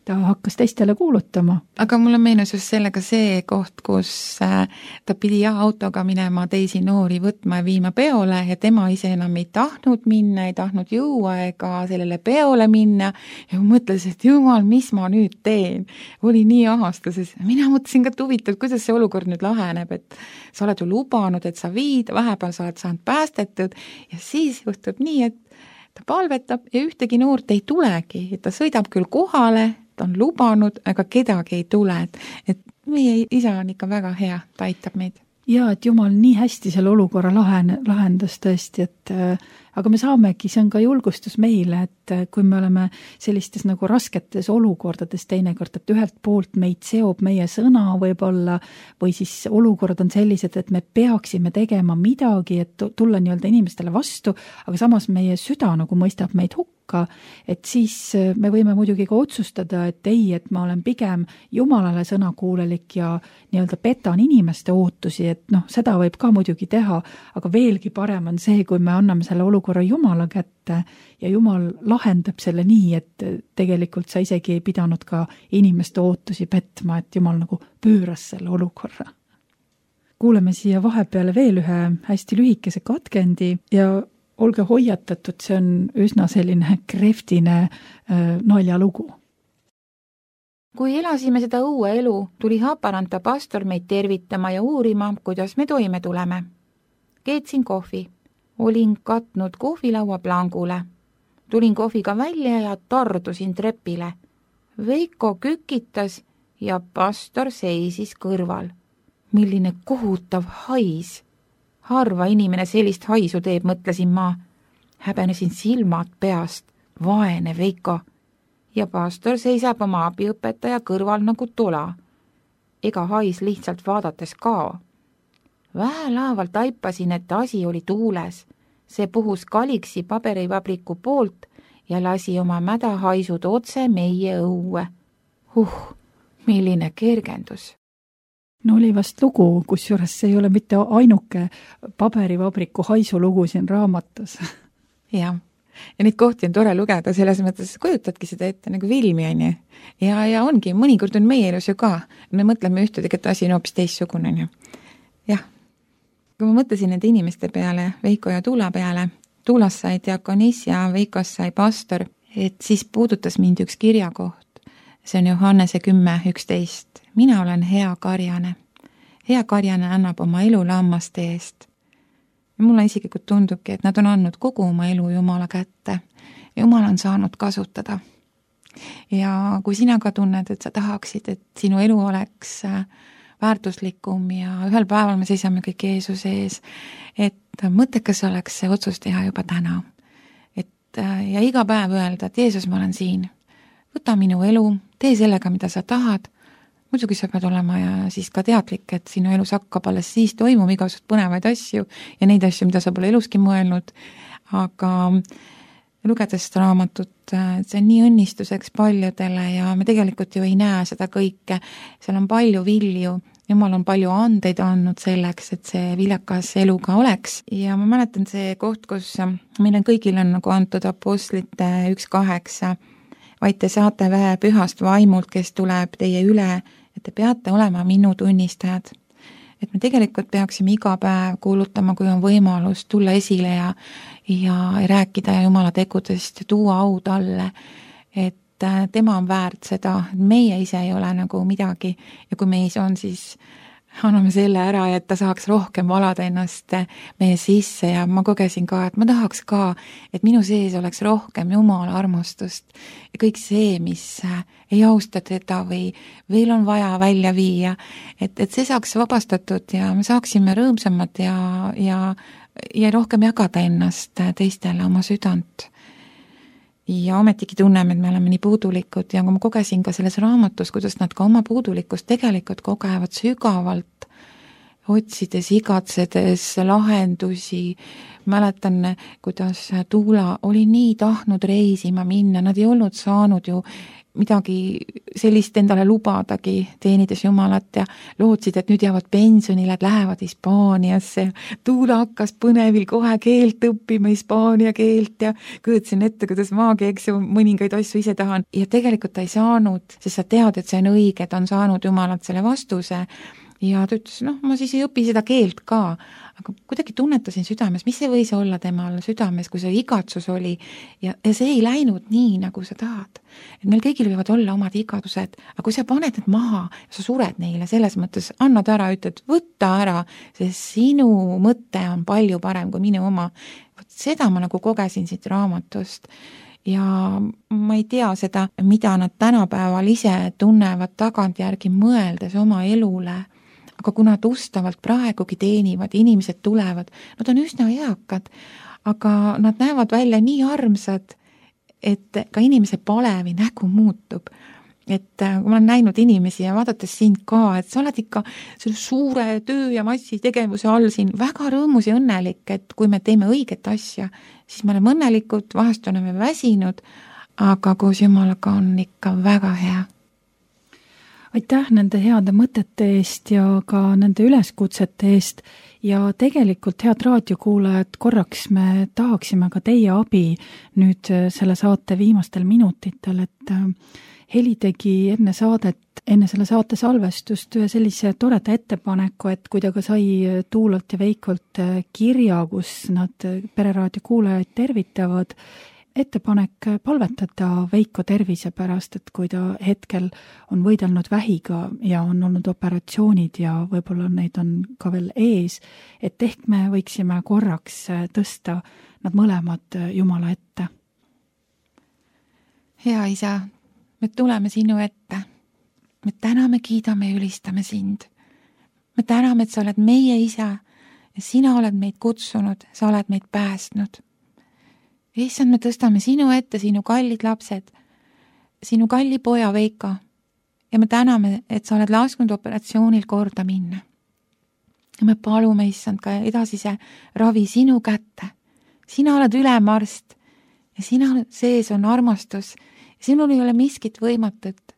ta hakkas teistele kuulutama. Aga mulle meenus just sellega see koht, kus ta pidi autoga minema teisi noori võtma ja viima peole ja tema ise enam ei tahtnud minna, ei tahtnud juua ega sellele peole minna ja mõtles, et jumal, mis ma nüüd teen. Oli nii ahastuses. Mina mõtlesin ka huvitav, kuidas see olukord nüüd laheneb, et sa oled ju lubanud, et sa viid, vahepeal sa oled saanud päästetud ja siis juhtub nii, et ta palvetab ja ühtegi noort ei tulegi, et ta sõidab küll kohale, ta on lubanud, aga kedagi ei tule, et meie isa on ikka väga hea, ta aitab meid. Ja, et Jumal nii hästi selle olukorra lahendas tõesti, et aga me saamegi, see on ka julgustus meile, et kui me oleme sellistes nagu rasketes olukordades teinekord, et ühelt poolt meid seob meie sõna võib-olla või siis olukorrad on sellised, et me peaksime tegema midagi, et tulla nii-öelda inimestele vastu, aga samas meie süda nagu mõistab meid hukka, et siis me võime muidugi ka otsustada, et ei, et ma olen pigem Jumalale sõnakuulelik ja nii-öelda petan inimeste ootusi, et noh, seda võib ka muidugi teha, aga veelgi parem on see, kui me anname selle olukorra Jumala kätte ja Jumal lahendab selle nii, et tegelikult sa isegi ei pidanud ka inimeste ootusi petma, et Jumal nagu pööras selle olukorra. Kuuleme siia vahepeale veel ühe hästi lühikese katkendi ja olge hoiatatud, see on üsna selline kreftine naljalugu. Kui elasime seda uue elu, tuli Haparanta pastor meid tervitama ja uurima, kuidas me toime tuleme. Keetsin kohvi. Olin katnud kohvilaua plangule. Tulin kohviga välja ja tardusin trepile. Veiko kükitas ja pastor seisis kõrval. Milline kohutav hais. Harva inimene sellist haisu teeb, mõtlesin ma. Häbenesin silmad peast. Vaene Veiko. Ja pastor seisab oma abiõpetaja kõrval nagu tola. Ega hais lihtsalt vaadates kao. Vähelaaval taipasin, et asi oli tuules. See puhus kaliksi paberivabriku poolt ja lasi oma mädahaisud otse meie õue. Milline kergendus. No oli vast lugu, kusjuures see ei ole mitte ainuke paberivabriku haisulugu siin raamatus. Jah. Ja neid kohti on tore lugeda, selles mõttes kujutadki seda ette nagu filmi, on ju. Ja ongi, mõnikord on meie elus ju ka. Me mõtleme ühte, tegelikult asi on hoopis teistsugune, on ju. Jah. Kui ma mõtlesin nende inimeste peale, Veiko ja Tuula peale, Tuulas sai diakonis ja Veikos sai pastor, et siis puudutas mind üks kirjakoht. See on Johannese 10:11. Mina olen hea karjane. Hea karjane annab oma elu lammaste eest. Ja mulle isiklikult tundubki, et nad on andnud kogu oma elu Jumala kätte. Jumal on saanud kasutada. Ja kui sina ka tunned, et sa tahaksid, et sinu elu oleks väärtuslikum ja ühel päeval me seisame kõik Jeesuse ees, et mõttekas oleks see otsus teha juba täna. Ja iga päev öelda, et Jeesus, ma olen siin. Võta minu elu, tee sellega, mida sa tahad. Muidugi sa pead olema ja siis ka teadlik, et sinu elus hakkab alles siis toimuma igasugust põnevaid asju ja neid asju, mida sa pole eluski mõelnud. Aga lugedes seda raamatut, see on nii õnnistuseks paljudele ja me tegelikult ju ei näe seda kõike. Seal on palju vilju. Jumal on palju andeid andnud selleks, et see viljakas elu ka oleks. Ja ma mäletan see koht, kus meil on kõigil on nagu antud apostlite 1:8, vaid te saate vähe pühast vaimult, kes tuleb teie üle, et te peate olema minu tunnistajad. Et me tegelikult peaksime iga päev kuulutama, kui on võimalus tulla esile ja rääkida Jumala tegudest ja tuua au talle, et tema on väärt seda, meie ise ei ole nagu midagi ja kui meis on, siis anname selle ära, et ta saaks rohkem valada ennast meie sisse ja ma kogesin ka, et ma tahaks ka, et minu sees oleks rohkem Jumala armastust ja kõik see, mis ei austa teda või veel on vaja välja viia, et see saaks vabastatud ja me saaksime rõõmsamad ja rohkem jagada ennast teistele oma südant. ja ometigi tunneme, et me oleme nii puudulikud ja ma kogesin ka selles raamatus, kuidas nad ka oma puudulikkust tegelikult kogevad sügavalt, otsides, igatsedes lahendusi. Mäletan, kuidas Tuula oli nii tahtnud reisima minna, nad ei olnud saanud ju midagi sellist endale lubadagi, teenides Jumalat ja lootsid, et nüüd jäävad pensionile, et lähevad Hispaaniasse. Tuula hakkas põnevil kohe keelt õppima, hispaania keelt ja kujutasin ette, kuidas maagi, eks ju, mõningaid asju ise tahan. Ja tegelikult ta ei saanud, sest sa tead, et see on õige, ta on saanud Jumalalt selle vastuse. Ja ta ütles, ma siis ei õpi seda keelt ka, aga kuidagi tunnetasin südames, mis see võis olla temal südames, kui see igatsus oli ja see ei läinud nii, nagu sa tahad. Et meil kõigil võivad olla omad igatsused, aga kui sa paned need maha, sa sured neile, selles mõttes annad ära, ütled, võtta ära, sest sinu mõte on palju parem kui minu oma. Seda ma nagu kogesin siit raamatust. Ja ma ei tea seda, mida nad tänapäeval ise tunnevad tagantjärgi mõeldes oma elule. Aga kui nad ustavalt praegugi teenivad, inimesed tulevad, nad on üsna eakad, aga nad näevad välja nii armsad, et ka inimese palevi nägu muutub. Et kui ma olen näinud inimesi ja vaadates sind ka, et sa oled ikka selle suure töö ja massi tegevuse all siin väga rõõmus ja õnnelik, et kui me teeme õiget asja, siis me oleme õnnelikud, vahest oleme väsinud, aga koos Jumalaga on ikka väga hea. Aitäh nende heade mõtete eest ja ka nende üleskutsete eest ja tegelikult head raadiokuulajad, korraks me tahaksime ka teie abi nüüd selle saate viimastel minutitel, et Heli tegi enne selle saate salvestust ühe sellise toreda ettepaneku, et kui ta ka sai Tuulalt ja Veikolt kirja, kus nad Pereraadio kuulajaid tervitavad, ettepanek palvetada Veiko tervise pärast, et kui ta hetkel on võidelnud vähiga ja on olnud operatsioonid ja võib-olla neid on ka veel ees, et ehk me võiksime korraks tõsta nad mõlemad Jumala ette. Hea isa, me tuleme sinu ette. Me täname, kiidame ja ülistame sind. Me täname, et sa oled meie isa ja sina oled meid kutsunud, sa oled meid päästnud. Issand, me tõstame sinu ette, sinu kallid lapsed, sinu kalli poja Veiko ja me täname, et sa oled lasknud operatsioonil korda minna. Ja me palume, issand, ka edasise ravi sinu kätte. Sina oled ülemarst ja sina sees on armastus ja sinul ei ole miskit võimatut.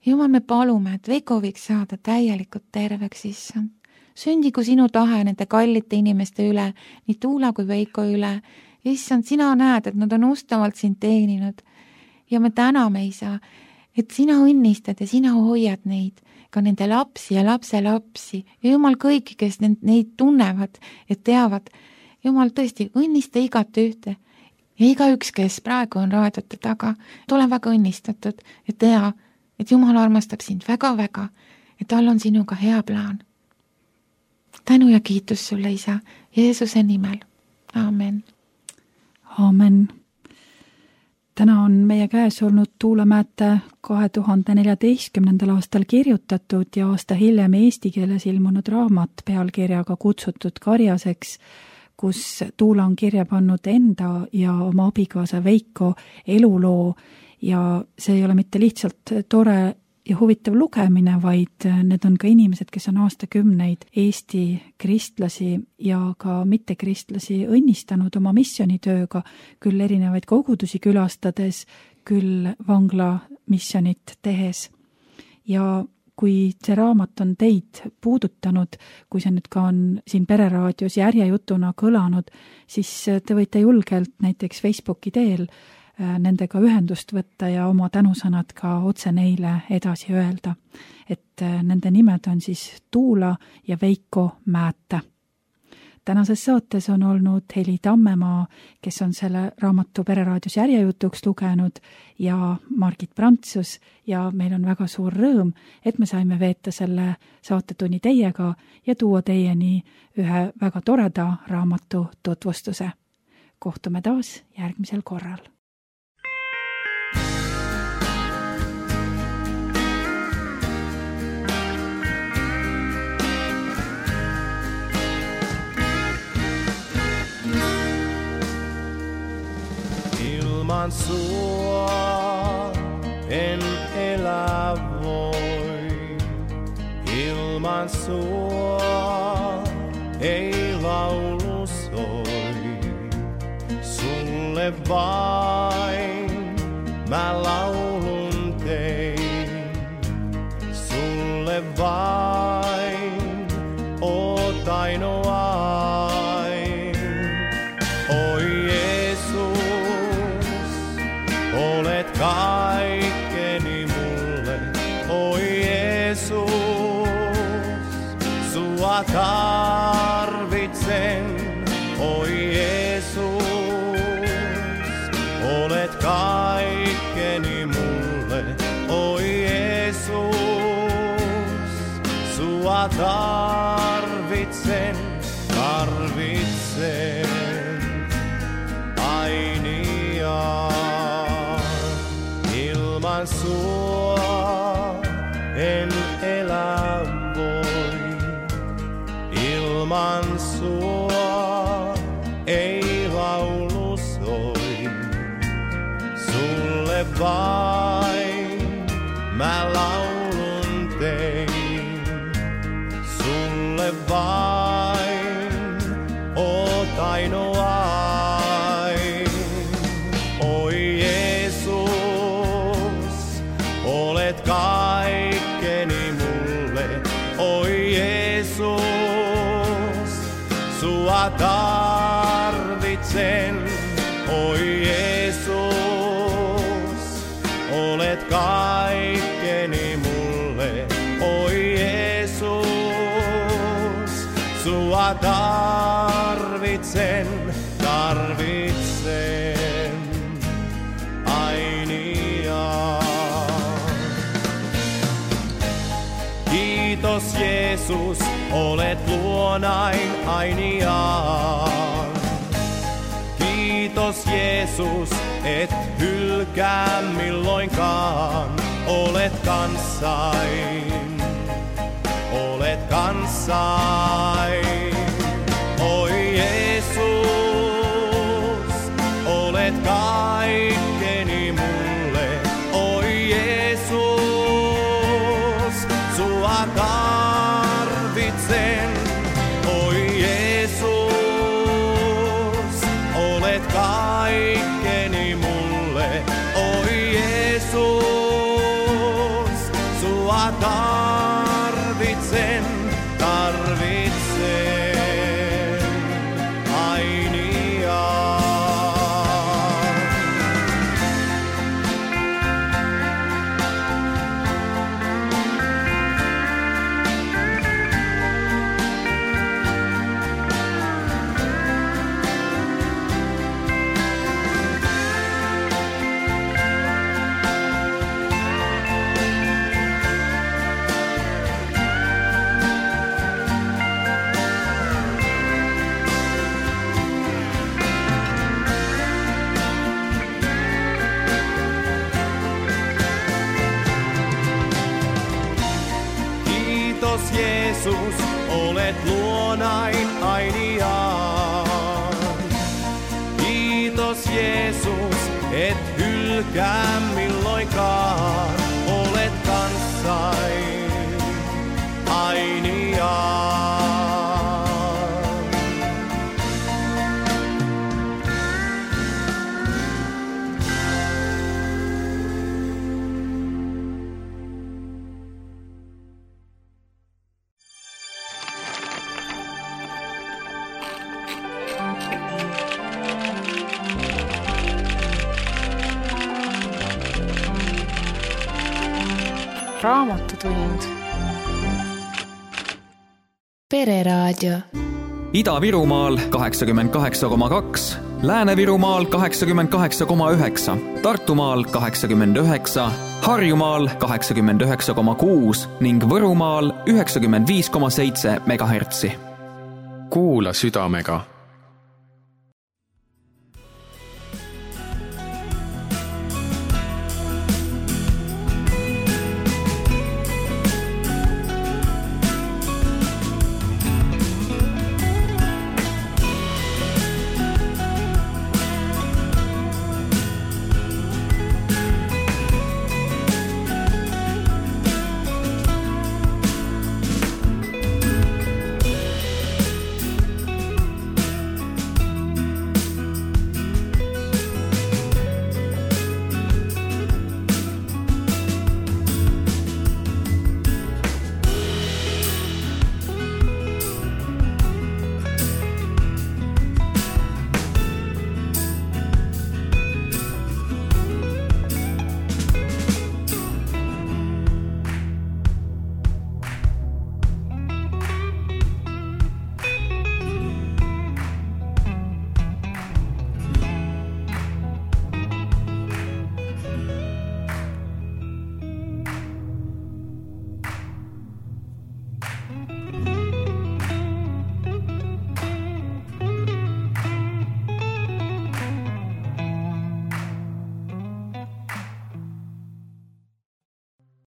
Jumal, me palume, et Veiko võiks saada täielikult terveks, issand. Sündigu sinu tahe nende kallite inimeste üle, nii Tuula kui Veiko üle. Issand, sina näed, et nad on ustavalt sind teeninud ja me täname, isa, et sina õnnistad ja sina hoiad neid, ka nende lapsi ja lapselapsi ja Jumal kõiki, kes neid tunnevad ja teavad. Jumal, tõesti, õnnista igat ühte ja igaüks, kes praegu on raadiote taga, ole väga õnnistatud ja tea, et Jumal armastab sind väga-väga ja tal on sinuga hea plaan. Tänu ja kiitus sulle, isa, Jeesuse nimel. Amen. Aamen. Täna on meie käes olnud Tuula Määte 2014. aastal kirjutatud ja aasta hiljem eesti keeles ilmunud raamat pealkirjaga Kutsutud karjaseks, kus Tuula on kirja pannud enda ja oma abikaasa Veiko eluloo ja see ei ole mitte lihtsalt tore ja huvitav lugemine, vaid need on ka inimesed, kes on aastakümneid Eesti kristlasi ja ka mittekristlasi õnnistanud oma missioonitööga, küll erinevaid kogudusi külastades, küll vangla missionit tehes. Ja kui see raamat on teid puudutanud, kui see nüüd ka on siin Pereraadios järjejutuna kõlanud, siis te võite julgelt näiteks Facebooki teel nendega ühendust võtta ja oma tänusõnad ka otse neile edasi öelda. Et nende nimed on siis Tuula ja Veiko Määte. Tänases saates on olnud Heli Tammemaa, kes on selle raamatu Pereraadios järjejutuks lugenud ja Margit Prantsus ja meil on väga suur rõõm, et me saime veeta selle saatetunni teiega ja tuua teieni ühe väga toreda raamatu tutvustuse. Kohtume taas järgmisel korral. ilman sua en elä voi. Ilman sua ei laulu soi. Sulle vain mä laulun tein. Sulle vain oot ainoain. Oi Jeesus, olet kaikkeni mulle. Oi Jeesus, sua tarvitsen. Oi Jeesus, olet kaikkeni mulle. Oi Jeesus, sua tarvitsen, tarvitsen ainiaan. Ilman sua en elä voi. Ilman sua ei laulu soi. Sulle vain mä laulun tein. Sulle vain oot ainoain. Oi Jeesus, olet kaikkeni mulle. Oi Jeesus, sua tarvitsen. Oi Jeesus, olet kaikkeni mulle. Oi Jeesus, sua tarvitsen, tarvitsen ainiaan. Kiitos Jeesus, olet luonain ainiaan. Kiitos Jeesus, et hylkää milloinkaan. Olet kanssain, olet kanssain. Oi Jeesus, olet kaikkeni mulle. Oi Jeesus, sua tarvitsen. Oi Jeesus, olet kaikkeni mulle. Oi Jeesus, sua tarvitsen, tarvitsen ainiaan. Kiitos Jeesus, olet luonain ainiaan. Kiitos Jeesus, et hylkää milloinkaan. Olet kanssain ainiaan. Raamatutund. Pereraadio. Ida-Virumaal 88,2, Lääne-Virumaal 88,9, Tartumaal 89, Harjumaal 89,6 ning Võrumaal 95,7 MHz. Kuula südamega